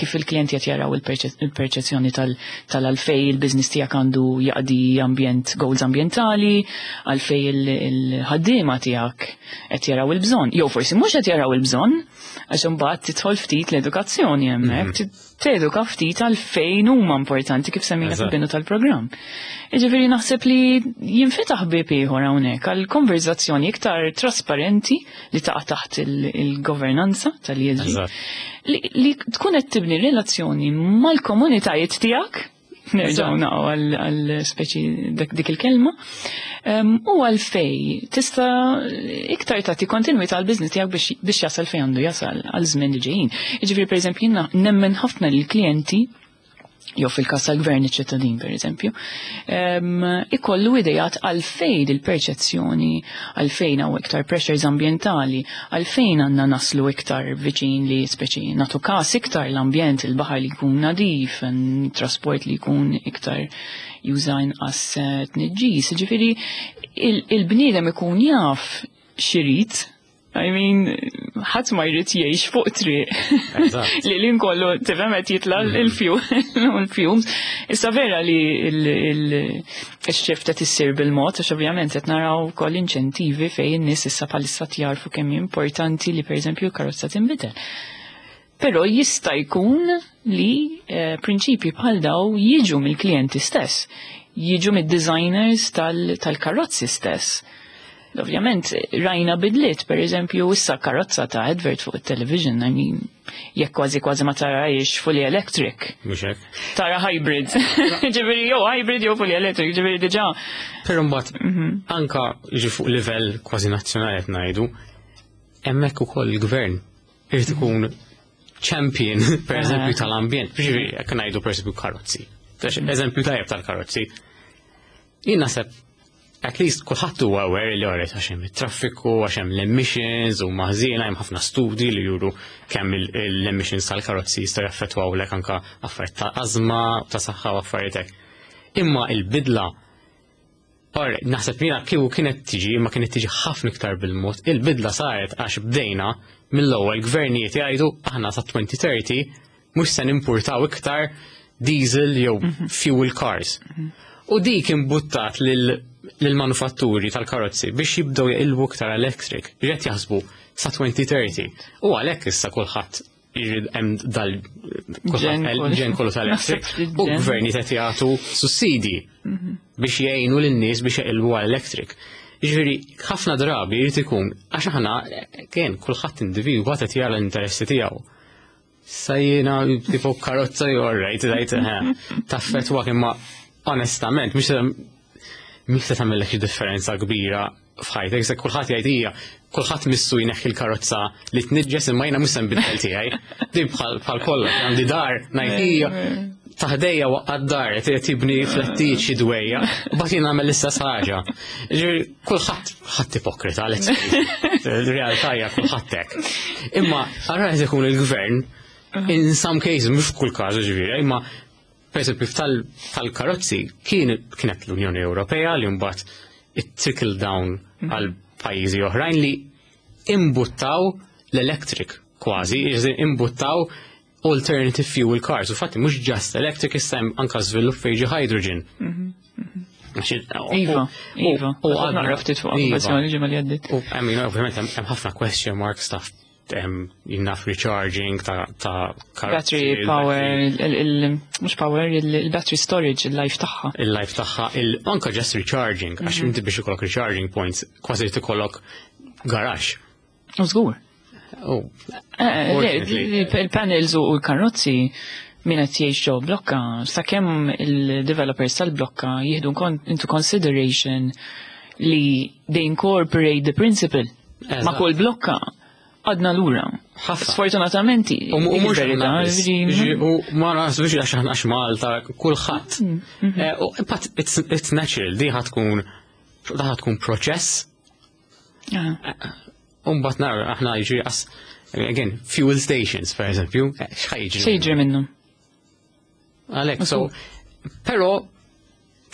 kif il-klijenti qed jaraw il-perċe- il-perċezzjoni tal- tal-għalfej il-business tiegħek għandu jaqdi ambjent goals ambjentali, għalfej il- il-ħaddiema tiegħek qed jaraw il-bżonn. Jew forsi mhux qed jaraw il-bżonn, għax imbagħad tidħol ftit l-edukazzjoni hemmhekk, teduka ftit għalfejn huma importanti kif semmejna Eżatt. fil-bidu tal-programm. Jiġifieri naħseb li jinfetaħ bieb ieħor hawnhekk għal konverzazzjoni iktar trasparenti li taqa' taħt il- il-governanza tal-E S G Eżatt. li, li tkun qed tibni relazzjoni mal-komunitajiet tiegħek, nerġgħu naqgħu għal għal speċi dak- dik il-kelma, em, u għalfej tista' iktar tagħti kontinwità għal business tiegħek biex biex jasal fejn għandu jasal għal żmien li ġejjin. Jiġifieri, pereżempju, jiena nemmen ħafna lill klijenti jew fil-każ tal-gvern iċ-ċittadin, per eżempju, em, ikollu idejat għalfejn il-perċezzjoni, għalfejn hawn iktar pressures ambientali, għalfejn għandna naslu iktar viċin li speċi nagħtu kas iktar l-ambjent, il-baħar li jkun nadif, en- trasport li jkun iktar juża inqas eh, tniġġis. Ġifieri il- il-bniedem ikun jaf x'irid. I mean, ħadd ma jrid jgħix fuq triq Eżatt. li l kollu tifhem qed jitla il-fuel il-fumes. Issa vera li il-shift qed issir bil-mod, għax ovvjament qed naraw ukoll inċentivi fejn in-nies issa bħalissa jarfu kemm hi importanti li, pereżempju, l-karozza tinbidel. Però jista' jkun li eh, prinċipji bħal daw jiġu mill-klijenti stess, jiġu mid-designers tal- tal-karozzi stess. Ovvjament, rajna bidliet, per eżempju, issa karozza ta' advert fuq il-television, I mean, jekk kważi kważi ma tarahiex fully electric, Mhux hekk. tara hybrid. Ġifieri, jew hybrid jew fully electric, ġifieri diġà. Però mbagħad anka jiġi fuq livell kważi nazzjonali qed ngħidu, hemmhekk ukoll il-gvern irid ikun champion, per eżempju, tal-ambjent. Ġifieri jekk ngħidu, per eżempju, karozzi. Eżempju tajjeb tal-karozzi. Jien naħseb at least kulħadd huwa aware li għoret għax hemm it-traffiku, għax hemm l-emissions u maħżiena, hemm ħafna studji li juru kemm il- l-emissions tal-karozzi jistgħu jaffettwawlek anka affarijiet ta' ażma, ta' saħħa u affarijiet hekk. Imma il-bidla, Or, naħseb jiena kieku kienet tiġi, imma kienet tiġi ħafna iktar bil-mod. Il-bidla saret għax bdejna mill-ewwel gvernijiet jgħidu aħna sa elfejn u tletin mhux se nimpurtaw iktar diesel jew fuel cars. U dik imbuttat lil lill-manufatturi tal-karozzi biex jibdew jaqilbu iktar electric. Qed jaħsbu sa elfejn u tletin. U għalhekk issa kulħadd jrid hemm dal Ġen kulħadd ġen kollu tal-electric. Naħseb U ġen. gvernijiet qed jagħtu sussidi biex jgħinu lin-nies biex jaqilbu għal electric. Jiġifieri ħafna drabi jrid ikun għax aħna kien kulħadd individwu qed jara l-interessi tiegħu. Sa jiena tipo karozza jew alright, ngħid taffettwak, imma onestament mhux mhux se tagħmellek xi differenza kbira f'ħajtek, se kulħadd jgħid hija kulħadd missu jneħħi l-karozza li tniġġes, imma jiena mhux se nbiddel tiegħi. Din bħal bħal kollha għandi dar ngħid hija ta' ħdejja waqgħet dar qed tibni flettijiet xi dwejja, u bagħad jien nagħmel l-istess ħaġa. Ġifieri kulħadd ħadd ipokrita, let's face it. Il-realtà hija kulħadd hekk. Imma ara qed ikun il-gvern in some cases, mhux f'kull każ ġifieri, imma per esempio tal-karozzi kien kienet l-Unjoni Ewropea li mbagħad it trickle down għal pajjiżi oħrajn li imbuttaw l-electric kważi, jiġifieri imbuttaw alternative fuel cars. U fatti mhux just electric, issa hemm anka żvilupp fejn jiġi hydrogen. Għax- Iva, u- iva. U Għadna għadna ftit fuq Iva. okkupazzjoni ġimgħa li għaddiet. U I mean, ovvjament hemm hemm ħafna question marks ta' hemm jinnaf recharging ta' ta' karozzi, Battery power, il- il- mhux power, il- il-battery storage, il-life tagħha. Il-life tagħha, il anka just recharging, għax inti biex ikollok recharging points, kważi trid ikollok garage. U żgur. Oh, Eh, Fortunately. Il-panels u l-karozzi Min qed jgħix ġo blokka, sakemm il-developers tal-blokka jieħdu into consideration li they incorporate the principle ma' kull blokka, għadna lura. Sfortunatament. U mhux u ma naħsbux għax aħna, għax Malta, kulħadd. Mm, mhm. eh, But it's, it's natural, di ħa tkun da ħa tkun proċess. Umbat nara, aħna jiġri as, again, fuel stations, per eżempju, eh, x'ħa jiġri? X'jiġri minnhom? Għalek, so, pero,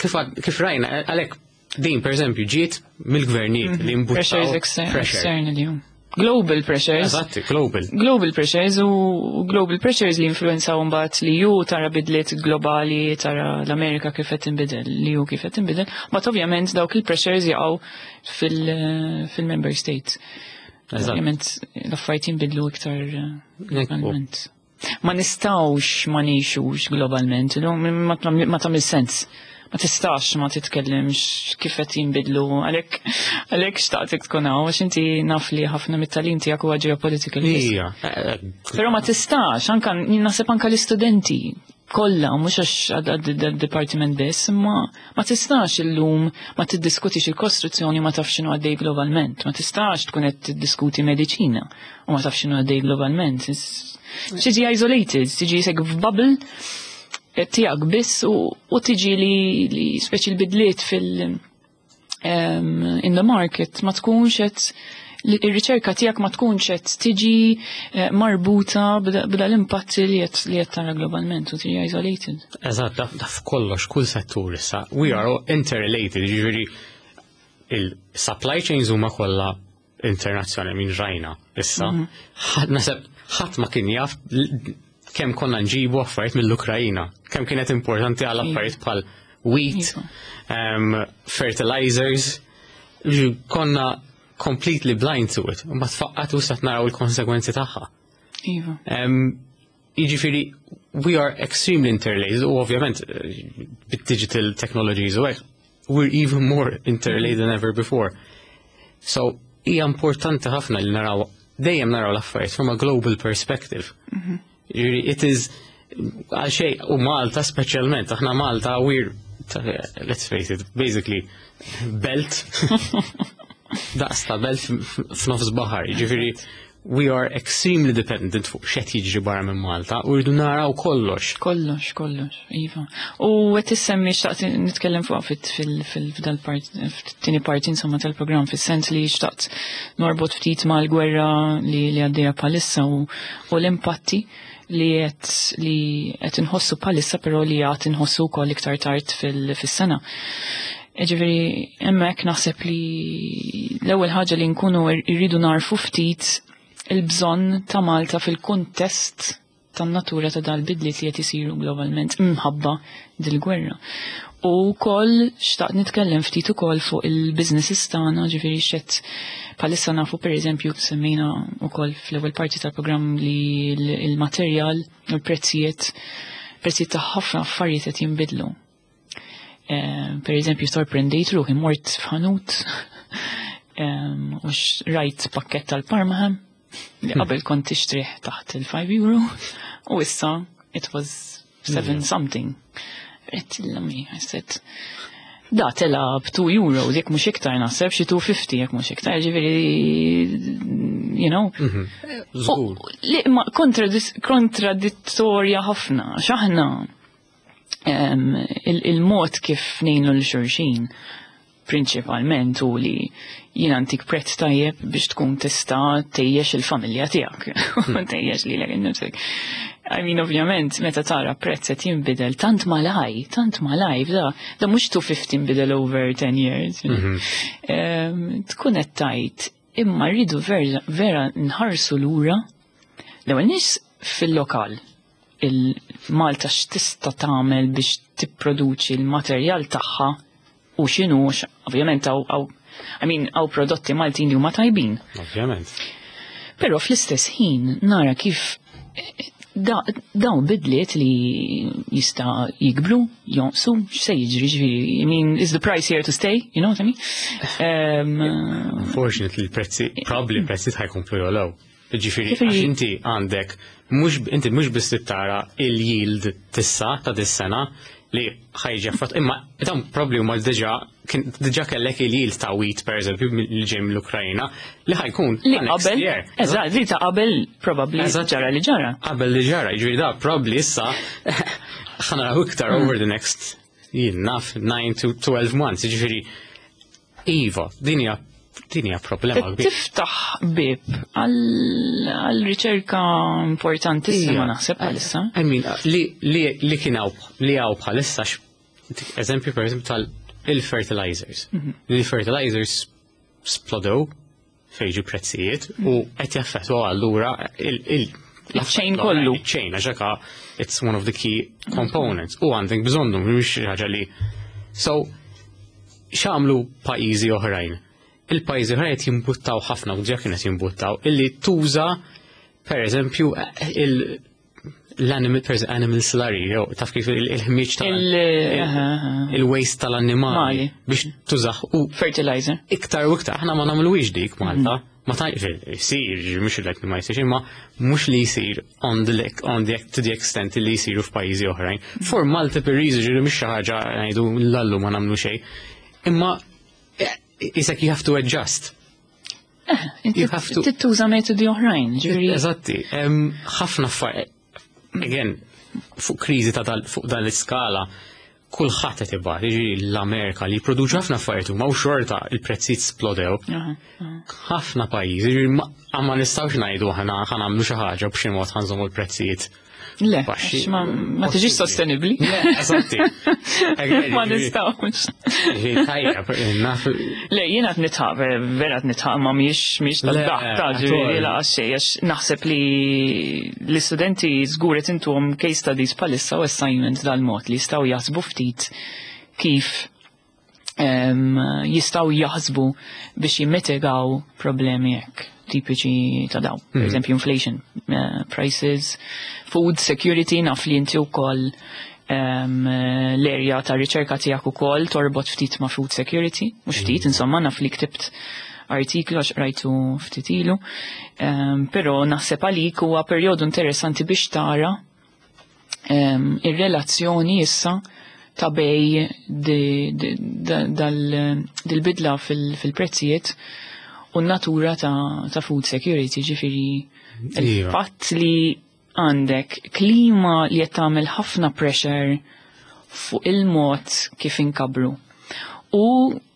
kif, kif rajna, għalek, din, per eżempju, ġiet mill-gvernijiet li mbuttaw. Pressures externally. Global pressures. Eżatti, global. Global pressures u global pressures li influenzaw mbagħad li ju tara bidliet globali, tara l-Amerika kif qed tinbidel, li ju kif qed tinbidel, but ovvjament dawk il-pressures jaqgħu fil-member states. Ovvjament l-affarijiet jinbidlu iktar eh, globalment. Ma nistgħux ma ngħixux globalment, ma tagħmel sens, ma tistax ma titkellimx kif qed jinbidlu, għalhekk għalhekk xtaqtek tkun hawn, għax inti naf li ħafna mit-tagħlim tiegħek huwa geopolitical. Ija. Però ma tistax, anka naħseb anka l-istudenti kollha, mhux għax għad-dipartiment biss, imma ma tistax illum ma tiddiskutix il-kostruzzjoni ma tafx x'inhu għaddej globalment, ma tistax tkun qed tiddiskuti mediċina u ma tafx x'inhu għaddej globalment. Tiġi isolated, tiġi sek f'bubble tiegħek biss u tiġi li, li speċi l-bidliet fil- um, in the market ma tkunx qed, ir-riċerka tiegħek ma tkunx qed tiġi eh, marbuta b'da l-impatti li qed li qed tara globalment u tiġi isolated. Eżatt, da f'kollox, kull settur issa. We are all interrelated, jiġifieri il-supply chains huma kollha internazzjonali minn rajna issa. Mhm. Naħseb ħadd ma kien jaf kemm konna nġibu affarijiet mill-Ukrajina, kemm kienet importanti għal affarijiet bħal wheat, um, fertilizers, konna completely blind to it. Ma tfaqqat u sat naraw il-konsekwenzi tagħha. Iva. Jiġifieri, we are extremely interrelated u ovvjament eh, bit-digital technologies u hekk, we're even more interrelated than ever before. So, hija importanti ħafna li naraw, dejjem naraw l-affarijiet from a global perspective. Mhm. Jiġifieri, it is għal xej, u Malta speċjalment, aħna Malta, we're, let's face it, basically belt, daqs ta' belt f'nofs baħar, ġifieri, we are extremely dependent fuq x'qed jiġri barra minn Malta u rridu naraw kollox. Kollox, kollox, iva. U qed issemmi, xtaqt nitkellem fuq fil-dal-part, fit-tieni parti insomma tal-programm, fis-sens li xtaqt norbot ftit mal-gwerra li li għaddejja bħalissa u l-impatti li qed li qed inħossu bħalissa, però li għad inħossu wkoll iktar tard fis-sena. Ġifieri, hemmhekk naħseb li l-ewwel ħaġa li nkunu rridu narfu ftit il-bżonn ta' Malta fil-kuntest tan-natura ta' dal-bidliet li qed isiru globalment imħabba dil-gwerra. U wkoll xtaqt nitkellem ftit ukoll fuq il-businesses tagħna, ġifieri x'qed bħalissa nafu, pereżempju semmejna wkoll fl-ewwel parti tal-programm li l-materjal u l-prezzijiet, prezzijiet ta' ħafna affarijiet qed jinbidlu. Eh, per eżempju, sorprendejt ruħi, mort f'ħanut u rajt pakket tal-Parma li hmm. qabel kont tixtrih taħt il-five euro u issa it was seven something. Għedt l-ommi, I said, da tela b' two euros, jekk mhux iktar, naħseb xi two fifty jekk mhux iktar, ġifieri, you know. Mhm. Żgur. Li ma kontradittorja ħafna, x'aħna il-mod kif ngħinu 'l xulxin prinċipalment u li jien ntik prezz tajjeb biex tkun tista' tgħejjex il-familja tiegħek. Hmm. Tgħejjex lilek innifsek. I mean, ovvjament, meta tara prezz qed jinbidel tant malaj, tant malaj, da, da mhux two fifty nbidel over ten years. Mhm. Tkun qed tgħid imma rridu vera, vera nħarsu lura l-ewwel nies fil-lokal, il-Malta x'tista' tagħmel biex tipproduċi l-materjal tagħha u x'inhu, ovvjament hawn, I mean, hawn prodotti Maltin li huma tajbin. Ovvjament. Però fl-istess ħin nara kif da, dawn bidliet li jista' jikbru, jonqsu, x'se jiġri, ġifieri, I mean, is the price here to stay, you know what I mean? Um, Unfortunately, il-prezzi, probably prezzi ħa jkomplu jogħlew. Ġifieri, għax inti għandek Mhux inti mhux biss tara il-yield t'issa ta' dis-sena li ħa jiġi affettwat, imma dawn probably huma diġà kien diġà kellek il-yield ta' wheat, per eżempju, li ġej mill-Ukrajna li ħa jkun Li ta' next qabel, year. Eżatt, li ta' qabel probably Eżatt. ġara li ġara. Qabel li ġara, ġifieri da probably issa ħa naraw iktar over the next, jien naf, nine to twelve months, ġifieri iva, din hija din hija problema kbira. Tiftaħ bib għal riċerka importantissima Ija. naħseb bħalissa. I mean, li, li, li kien hawn li hawn bħalissa, x- eżempju, per eżempju, tal-fertilizers. Li fertilizers splodew fejġu prezzijiet u qed jaffettwaw allura il- il- Il-chain kollu. Il-chain, għax hekka it's one of the key components. U għandek bżonnhom, mhux xi ħaġa li. So, x'għamlu pajjiżi oħrajn? Il-pajjiżi oħrajn qed jimbuttaw ħafna, u diġà kienet jimbuttaw, illi tuża, per eżempju, il- l-animal, per eżempju, animal slurry, jew taf kif il- il-ħmiġ tal Il- aha, aha. il-waste tal-annimali Mali. biex tużah u Fertilizer. Iktar u iktar, aħna ma nagħmluhiex dik Malta. Ma ta' jsir, mhux li ma jsirx, imma mhux li jsir on the, on the, to the extent li jsiru f'pajjiżi oħrajn. For multiple reasons, ġifieri mhux xi ħaġa ngħidu lallu ma nagħmlu xejn. Imma eh, isek you have to adjust. Inti You have to- tittuża metodi oħrajn, ġifieri. Eżatti, em, ħafna affarijiet. Again, fuq kriżi ta' dal, fuq dan l-iskala, kulħadd qed ibati, jiġifieri l-Amerika li jipproduċu ħafna affarijiet huma u xorta il-prezzijiet splodew. Aha, aha. Ħafna pajjiżi, jiġifieri ma ma nistgħux ngħidu aħna ħa nagħmlu xi ħaġa, b'xi mod ħa nżommu l-prezzijiet Le, baxxi. għax ma ma tiġix sostenibbli. Le, eżatti. Ma nistgħux. Jiġifieri tajjeb, naf. Le, jiena qed nidħaq, vera qed nidħaq, ma mhijiex mhijiex Le, tad-daħk ta' ġifieri at all. laqas xejn, għax naħseb li l-istudenti żgur qed intuhom case studies bħalissa u assignments dal-mod li jistgħu jaħsbu ftit kif em, jistgħu jaħsbu biex jimmitigaw problemi hekk tipiċi ta' daw. Per eżempju, inflation, eh, prices, food security, naf li inti wkoll um, l-area ta' riċerka tiegħek ukoll torbot ftit ma' food security, mhux ftit, insomma, naf li ktibt artiklu għax rajtu ftit ilu. Um, però naħseb għalik huwa perjodu interessanti biex tara um, ir-relazzjoni issa ta' bejn di- di- da- dal- dil-bidla fil- fil-prezzijiet u n-natura ta', ta' food security, ġifieri Iva. il-fatt li għandek klima li qed tagħmel ħafna pressure fuq il-mod kif inkabru. U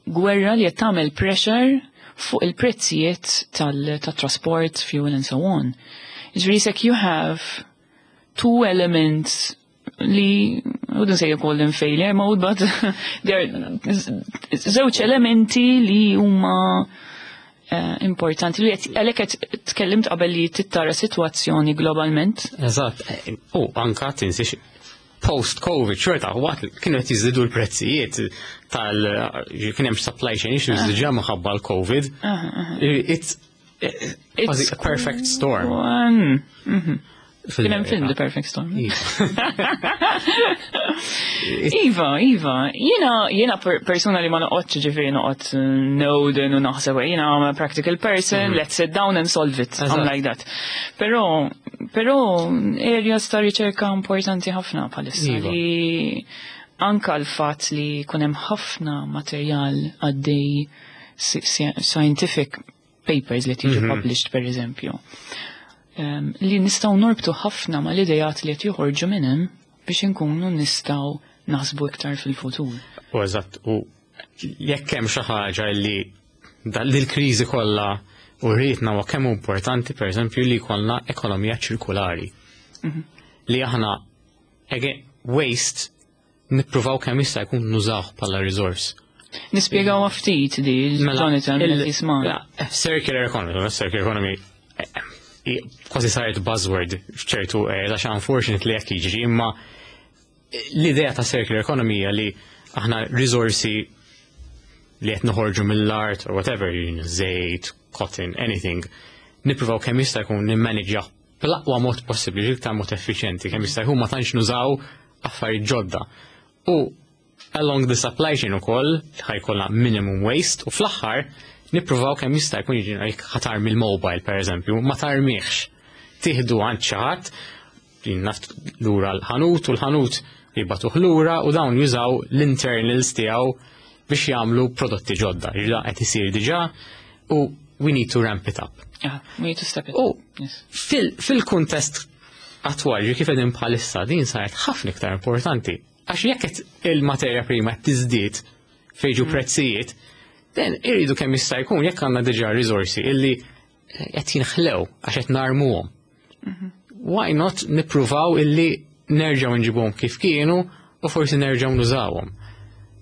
gwerra li qed tagħmel pressure fuq il-prezzijiet tal-trasport, fuel and so on. Ġifieri sek you have two elements li I wouldn't say you call them failure mode, but they're żewġ elementi li huma eh, importanti li qed- għalhekk qed tkellimt qabel li tittara sitwazzjoni globalment. Eżatt, u anka tinsiex post-Covid, xorta, waqt li kienu qed jiżdiedu l-prezzijiet tal kien hemm supply chain issues diġà minħabba l-Covid. It's It's a perfect storm. One. Mhm. Kien hemm film The Perfect Storm. Iva. Iva, Iva, jiena, jiena per persona li ma noqgħodx, ġifieri noqgħod eh, noden u naħseb, jiena I'm a practical person, let's sit down and solve it. I'm Eżatt. like that. Però, però areas ta' riċerka importanti ħafna bħalissa Iva. li anka l-fatt li kunem ħafna materjal għaddej si- si- scientific papers li tiġu published, per eżempju. Um, li nistgħu norbtu ħafna ma l-idejat li qed joħorġu minn hemm biex inkunu nistgħu naħsbu iktar fil-futur. U eżatt, u jekk hemm xi ħaġa li dal il-kriżi kollha u rritna huwa kemm hu importanti, pereżempju, li jkollna ekonomija ċirkulari. Li aħna again, waste nippruvaw kemm jista' jkun nużawh bħala resource. Nispjegaw ftit di, Mela, Jonathan, il- qed jisma'. Ja, circular economy, circular economy eh, eh, kważi saret buzzword f'ċertu areas, għax unfortunately jekk jiġri, imma l-idea ta' circular economy hija li aħna risorsi li qed noħorġu mill-art or whatever, żejt, cotton, anything, nippruvaw kemm jista' jkun nimmanagjaw bl-aqwa mod possibbli, l-iktar mod effiċjenti, kemm jista' jkun ma tantx nużaw affarijiet ġodda. U along the supply chain ukoll ħa jkollna minimum waste u fl-aħħar nippruvaw kemm jista' jkun, jiġi jekk ħa tarmi l-mobile, per eżempju, ma tarmihx. Tieħdu għand xi ħadd, naf, lura l-ħanut, u l-ħanut jibagħtuh lura u dawn jużaw l-internals tiegħu biex jagħmlu prodotti ġodda. Ġda qed isir diġà u we need to ramp it up. Ah, we need to step it U up. Yes. fil- fil-kuntest attwali kif qegħdin bħalissa, din saret ħafna iktar importanti. Għax jekk qed il-materja prima qed tiżdied fejn ġu prezzijiet, then irridu kemm jista' jkun, jekk għandna diġà risorsi illi qed jinħlew għax qed narmuhom. Why not nippruvaw illi nerġgħu nġibuhom kif kienu u forsi nerġgħu nużawhom?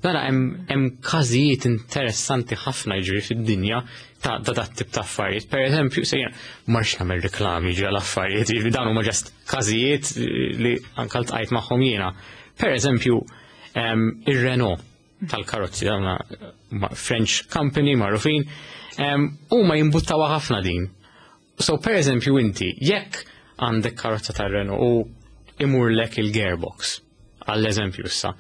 Nara hemm hemm każijiet interessanti ħafna jiġri fid-dinja ta' ta' dat tip ta' affarijiet. Per eżempju, se jiena marx nagħmel reklami ġi għal affarijiet, jiġifieri dawn huma just każijiet li anke ltqajt magħhom jiena. Per eżempju, em, ir-Renault tal-karozzi, dawn huma French company magħrufin, em, huma jimbuttawha ħafna din. So per eżempju inti, jekk għandek karozza tar-Renault u imurlek il-gearbox, għall-eżempju issa,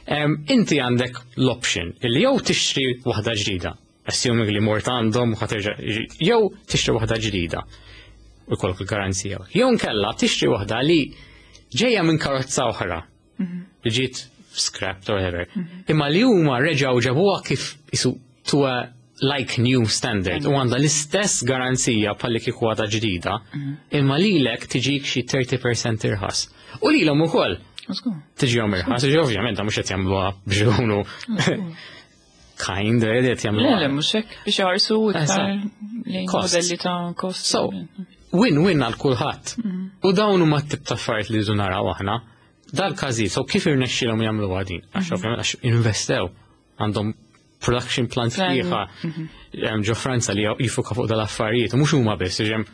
em, inti għandek l-option illi jew tixtri waħda ġdida, assuming li mort għandhom u ħa terġa', jew tixtri waħda ġdida u jkollok il-garanzija. Jew nkella tixtri waħda li ġejja minn karozza oħra, li ġiet scrapped or whatever. Imma li huma reġgħu ġabuha kif isu to a like new standard u għandha l-istess garanzija bħalli kieku għadha ġdida, imma lilek tiġik xi tletin fil-mija irħas. U lilhom ukoll Żgur. tiġihom irħas, ġi ovvjament mhux qed jagħmluha biex ikunu kind, qed Le, jagħmluha. le, mhux hekk, biex jħarsu iktar Eżatt. lejn Costs. modelli ta' cost. So, win-win għal kulħadd. U dawn huma t-tip ta' affarijiet li rridu naraw aħna. Dal-każijiet, so kif irnexxielhom jagħmlu din? Għax ovvjament għax investew, għandhom production plant Plan. sħiħa hemm ġo Franza li jiffuka fuq dal-affarijiet, u mhux huma biss, hemm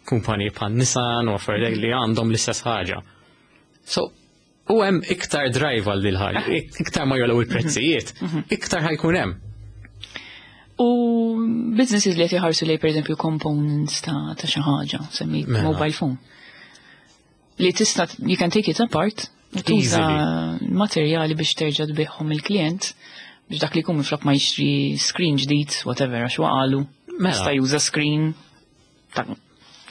kumpaniji bħal Nissan u affarijiet li għandhom l-istess ħaġa. So, u hemm iktar drive għal dil ħaġa, iktar ma jogħlew il-prezzijiet, iktar ħa jkun hemm. U businesses li qed jħarsu lej, pereżempju, components ta' ta' xi ħaġa, semmi Mela. mobile phone. Li tista', you can take it apart u tuża materjali biex terġa' tbiħhom il-klient biex dak li jkun minflok ma jixtri screen ġdid, whatever, għax waqalu. Mela. Jista' juża screen ta'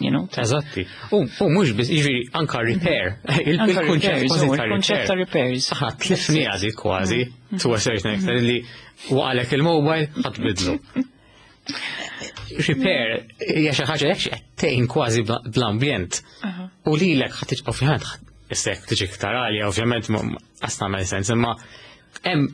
you know, ta' Eżatti. U u mhux biss, jiġifieri anka repair. Il- Anka Il-kunċett repairs, kważi u ta' il-kunċett ta' repair. repairs. Aħna tlifni għadi kważi, to a certain extent, li waqalek il-mobile, ħa tbiddlu. Repair, hija xi ħaġa jekk qed tgħin kważi bla- bl-ambjent. U lilek ħa tiġi, ovvjament, issa jekk tiġi iktar għalja, ovvjament, ma qas tagħmel sens, imma hemm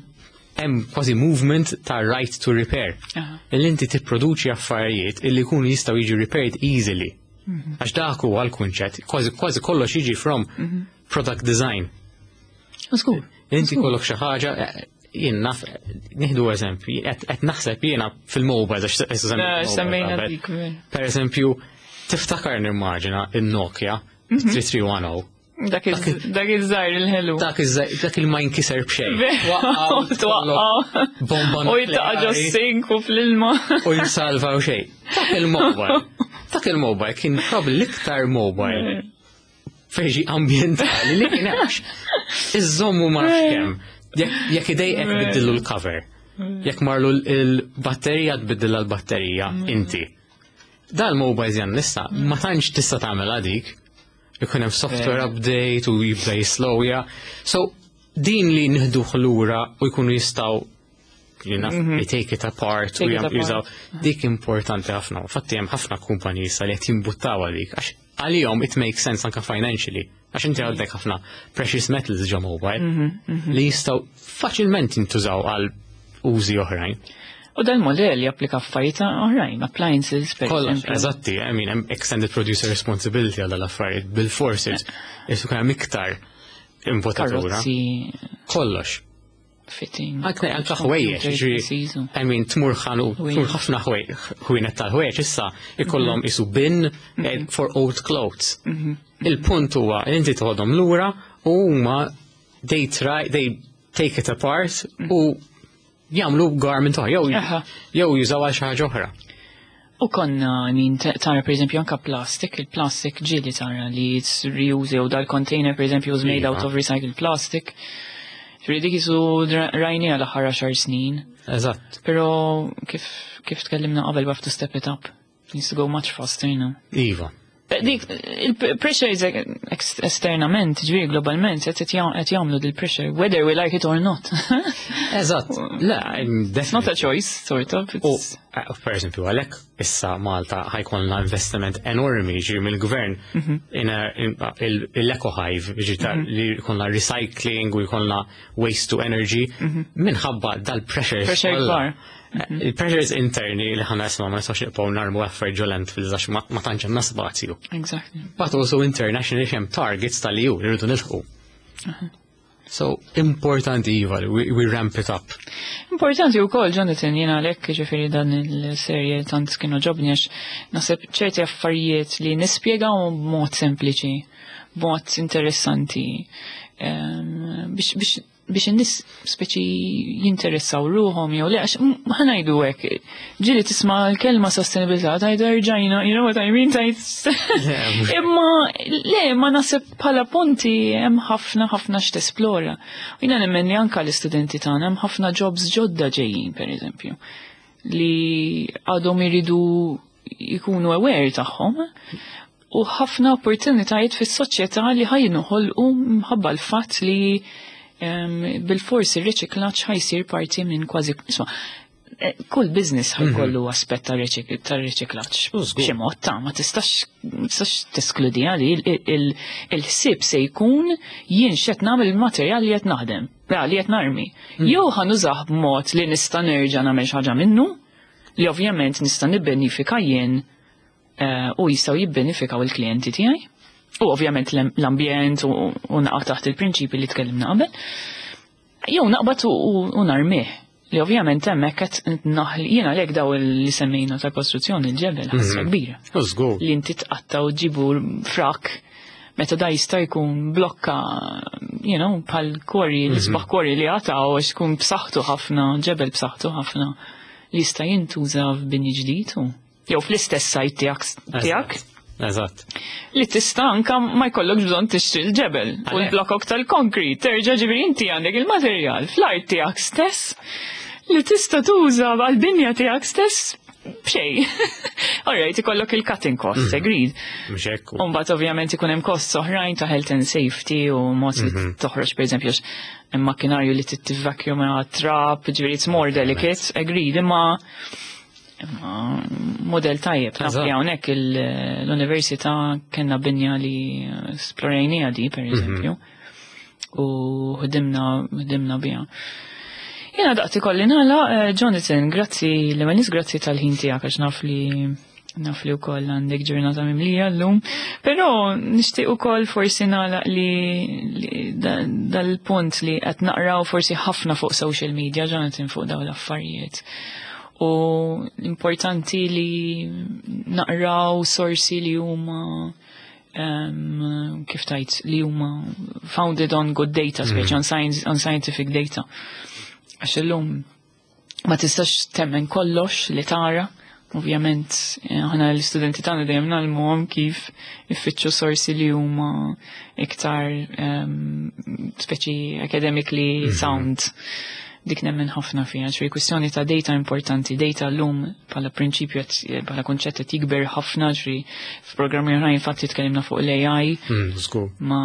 hemm kważi movement ta' right to repair. Aha. Illi inti tipproduċi affarijiet illi jkunu jistgħu jiġu repaired easily. Għax dak huwa l-kunċett, kważi kważi kollox jiġi from product design. Żgur. Inti kollok xi ħaġa, eh, jien naf, nieħdu eżempju, qed qed naħseb jiena fil-mobile, għax issa semmejt Semmejna mobile qabel. dik. Ver. Per eżempju, tiftakar, nimmaġina, il-Nokia tlieta tlieta wieħed żero. Dak iż- dak iż-żgħir il-ħelu. Dak iż- dak il ma jinkiser b'xejn. Waqqaw, twaqqaw. Bomba U jitaqa' ġo nukleari. sink u fl-ilma. U jinsalva u xejn. Dak il-mobile. Dak il-mobile kien probably l-iktar mobile feġi ambientali li kien għax. Iżommu ma nafx kemm. Jekk jekk idejqek biddillu l-cover. Jekk marlu l-batterija, tbiddilha l-batterija inti. Dal-mobile jan nista ma tantx tista' tagħmel dik. Ikun hemm software update u jibda jislowja. So din li nieħdu lura u jkunu jistgħu you know, they take it apart u Take it jam- apart. jużaw dik, importanti ħafna. Fatti hemm ħafna kumpaniji issa li qed jimbuttaw għalik għax għalihom it makes sense anka financially. Għax inti għandek ħafna precious metals ġo mobile li jistgħu faċilment jintużaw għal użi oħrajn. U dal-modell japplika f'affarijiet oħrajn, appliances, per Kollox, eżempju. eżatti, I mean, hemm extended producer responsibility għal dal-affarijiet, bil-forsi, jisu hemm iktar imbottatura. Karozzi, Kollox. fitting. Anke anke ħwejjeġ, ġifieri, P Cs u- I mean, tmur ħanu, tmur ħafna ħwienet tal-ħwejjeġ issa ikollhom isu bin eh, for old clothes. Il-punt huwa li inti toħodhom lura u huma they try, they take it apart u jagħmlu garment oħra, jew Aha. jew jużaw għal xi ħaġa oħra. U konna, I mean, ta- tara per eżempju anka plastic, il-plastic ġieli tara li it's reuse, u dal-container per eżempju was made Iva. out of recycled plastic. Ġifieri dik isu rajni għal aħħar għaxar snin. Eżatt. Pero kif, kif tkellimna qabel, we have to step it up. Needs to go much faster, you know. Iva. Dik, il-pressure is ex- esternament, ġifieri globalment, qed jagħmlu dil-pressure, whether we like it or not. Eżatt, le, It's not a choice, sort of. U, eh, per eżempju, għalhekk issa Malta ħa jkollna investiment enormi ġi mill-gvern mhm. l-Eco Hive, ġi mhm. li jkollna recycling u jkollna waste to energy, mhm. minħabba dal-pressure. Pressure kbar. Il-pressures interni li ħana isma ma nistax nibqgħu narmu affarijiet ġo landfills għax ma tantx hemm spazju. Exactly. But also internationally hemm targets tal-E U li rridu nilħqu. So, importanti iva, we, we ramp it up. Importanti u koll, Jonathan, jena għalhekk ġifieri dan il-serje tant kienu għoġobni, għax naħseb ċerti affarijiet li nispjegaw b'mod sempliċi, b'mod interessanti, biex biex biex in-nies speċi jinteressaw ruħhom jew le, għax ħa ngħidu hekk, ġieli tisma' l-kelma sostenibilità tgħid erġajna, you know what I mean, tgħid. Imma le, ma naħseb bħala punti hemm ħafna ħafna x'tesplora. U jiena nemmen li anka l-istudenti tagħna hemm ħafna jobs ġodda ġejjin, pereżempju, li għadhom iridu jkunu aware tagħhom u ħafna opportunitajiet fis-soċjetà li ħa jinħolqu minħabba l-fatt li bil-forsi il-riċiklaġġ ħa jsir parti minn kważi, isma', eh, kull business ħa jkollu mhm. aspett ta' riċiklaġġ. Xi mod ta' ma tistax tistax teskludi għali il-ħsieb se jkun jien x'qed nagħmel il-materjal li qed naħdem, li qed narmi. Mhm. Jew ħa nużah b'mod li nista' nerġa' nagħmel xi ħaġa minnu, li ovvjament nista' nibbenifika jien eh, u jistgħu jibbenifikaw il-klijenti tiegħi. U ovvjament l-ambjent u naqa' taħt il-prinċipi li tkellimna qabel. Jew naqbad u narmih. Li ovvjament hemmhekk qed naħli jiena għalhekk daw li semmejna ta' kostruzzjoni, il-ġebel, ħasra mhm. kbira. Li inti tqatta' u ġibu frak meta da jista' jkun blokka, you know, bħal quarry, mhm. l-isbaħ quarry li għataw għax tkun b'saħħtu ħafna, ġebel b'saħħtu ħafna li jista' jintuża f'bini ġdid jew fl-istess site tiegħek tiegħek. Eżatt. Li tista' anka ma jkollokx bżonn tixtri l-ġebel u l-blokok tal-konkrit. Terġa' ġifieri inti għandek il-materjal fl-art tiegħek stess li tista' tuża għal-binja tiegħek stess b'xejn. Alright, ikollok il-cutting costs, mhm. agreed. Mhux hekk. Umbagħad ovvjament ikun hemm costs oħrajn ta' health and safety u mod li mhm. toħroġ, pereżempju, hemm makkinarju li titvacuum trap, ġifieri it's more delicate, agreed, imma imma model tajjeb. Naf li hawnhekk l-università kellna binja li esplorajnija di, per eżempju, mhm. u ħdimna ħdimna biha. Jena daqt ikolli nagħlaq, eh, Jonathan, grazzi l-ewwel, grazzi tal-ħin tiegħek, għax naf li naf li wkoll għandek ġurnata mimlija llum. Però nixtieq ukoll forsi nagħlaq li, li dal-punt li qed naqraw forsi ħafna fuq social media, Jonathan, fuq dawn l-affarijiet. U importanti li naqraw sorsi li huma um, kif tajt li huma founded on good data, speċi mm. on science, on scientific data. Għax illum ma tistax temmen kollox li tara. Ovvjament, eh, aħna l-istudenti tagħna dejjem ngħallmuhom kif ifittxu sorsi li huma iktar um, speċi academically mm -hmm. sound. Dik nemmen ħafna fiha, ċri kwistjoni ta' data importanti, data llum bħala prinċipju, bħala kunċett qed jikber ħafna, ġri f'programmi oħrajn infatti tkellimna fuq l-A I mm, ma,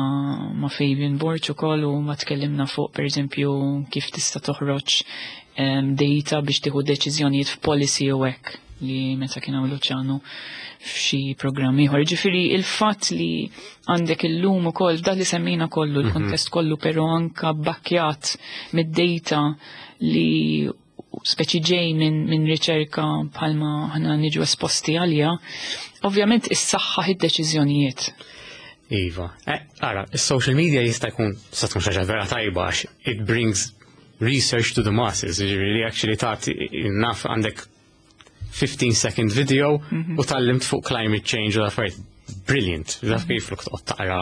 ma Fabian Borch ukoll u ma tkellimna fuq, pereżempju, kif tista' toħroġ um, data biex tieħu deċiżjonijiet f'policy u hekk li meta kien hawn Luciano f'xi programm ieħor. Ġifieri il-fatt li għandek illum ukoll dak li semmejna kollu, il-kontest kollu, però anka backjat mid-data li speċi ġej minn min riċerka bħalma ħna niġu esposti għalija, ovvjament issaħħaħ id-deċiżjonijiet. Iva. Eh, ara, is-social media jista' jkun sa tkun xi ħaġa vera tajba għax it brings research to the masses, ġifieri actually tagħti naf għandek fifteen second video mhm. u tgħallimt fuq climate change u affarijiet brilliant. Taf kif flok toqgħod taqra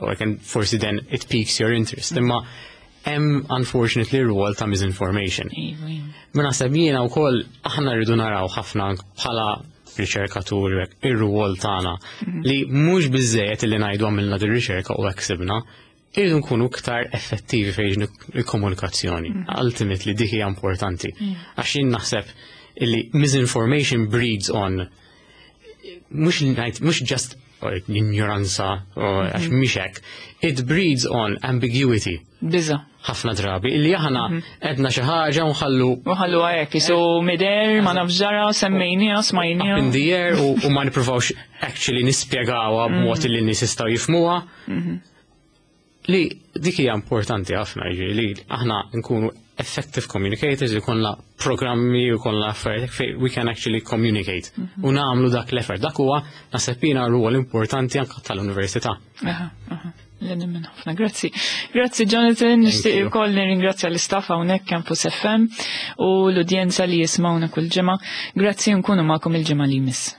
u can forsi then it piques your interest. Imma hemm unfortunately rwol ta' misinformation. Iva, iva. Ma naħseb jiena wkoll aħna rridu naraw ħafna bħala riċerkaturi ir-rwol tagħna mhm. li mhux biżejjed li ngħidu għamilna din riċerka u hekk sibna, irridu nkunu iktar effettivi fejn il-komunikazzjoni. Mhm. Ultimately dik hija importanti. Għax jien naħseb illi misinformation breeds on mhux ngħid mhux just Ignoranza, għax mhix hekk. It breeds on ambiguity. Biża. Ħafna drabi, illi aħna għedna xi ħaġa u nħallu U ħallu hekk, jisu mider, ma nafx ġara, semmejniha, smajniha. Up in the air u, u ma nippruvawx actually nispjegawha b'mod li n-nies jistgħu jifhmuha. Li dik hija importanti ħafna, jiġifieri li aħna nkunu effective communicators, jkollna programmi, jkollna affarijiet fejn we can actually communicate u nagħmlu dak l-effort. Dak huwa, naħseb jiena, rwol importanti anke tal-università. Aha, aha. Nemmen ħafna, grazzi. Grazzi, Jonathan, nixtieq you. ukoll nirringrazzja l-istaff hawnhekk Campus F M u l-udjenza li jismawna kull ġimgħa. Grazzi, nkunu magħkom il-ġimgħa li jmiss.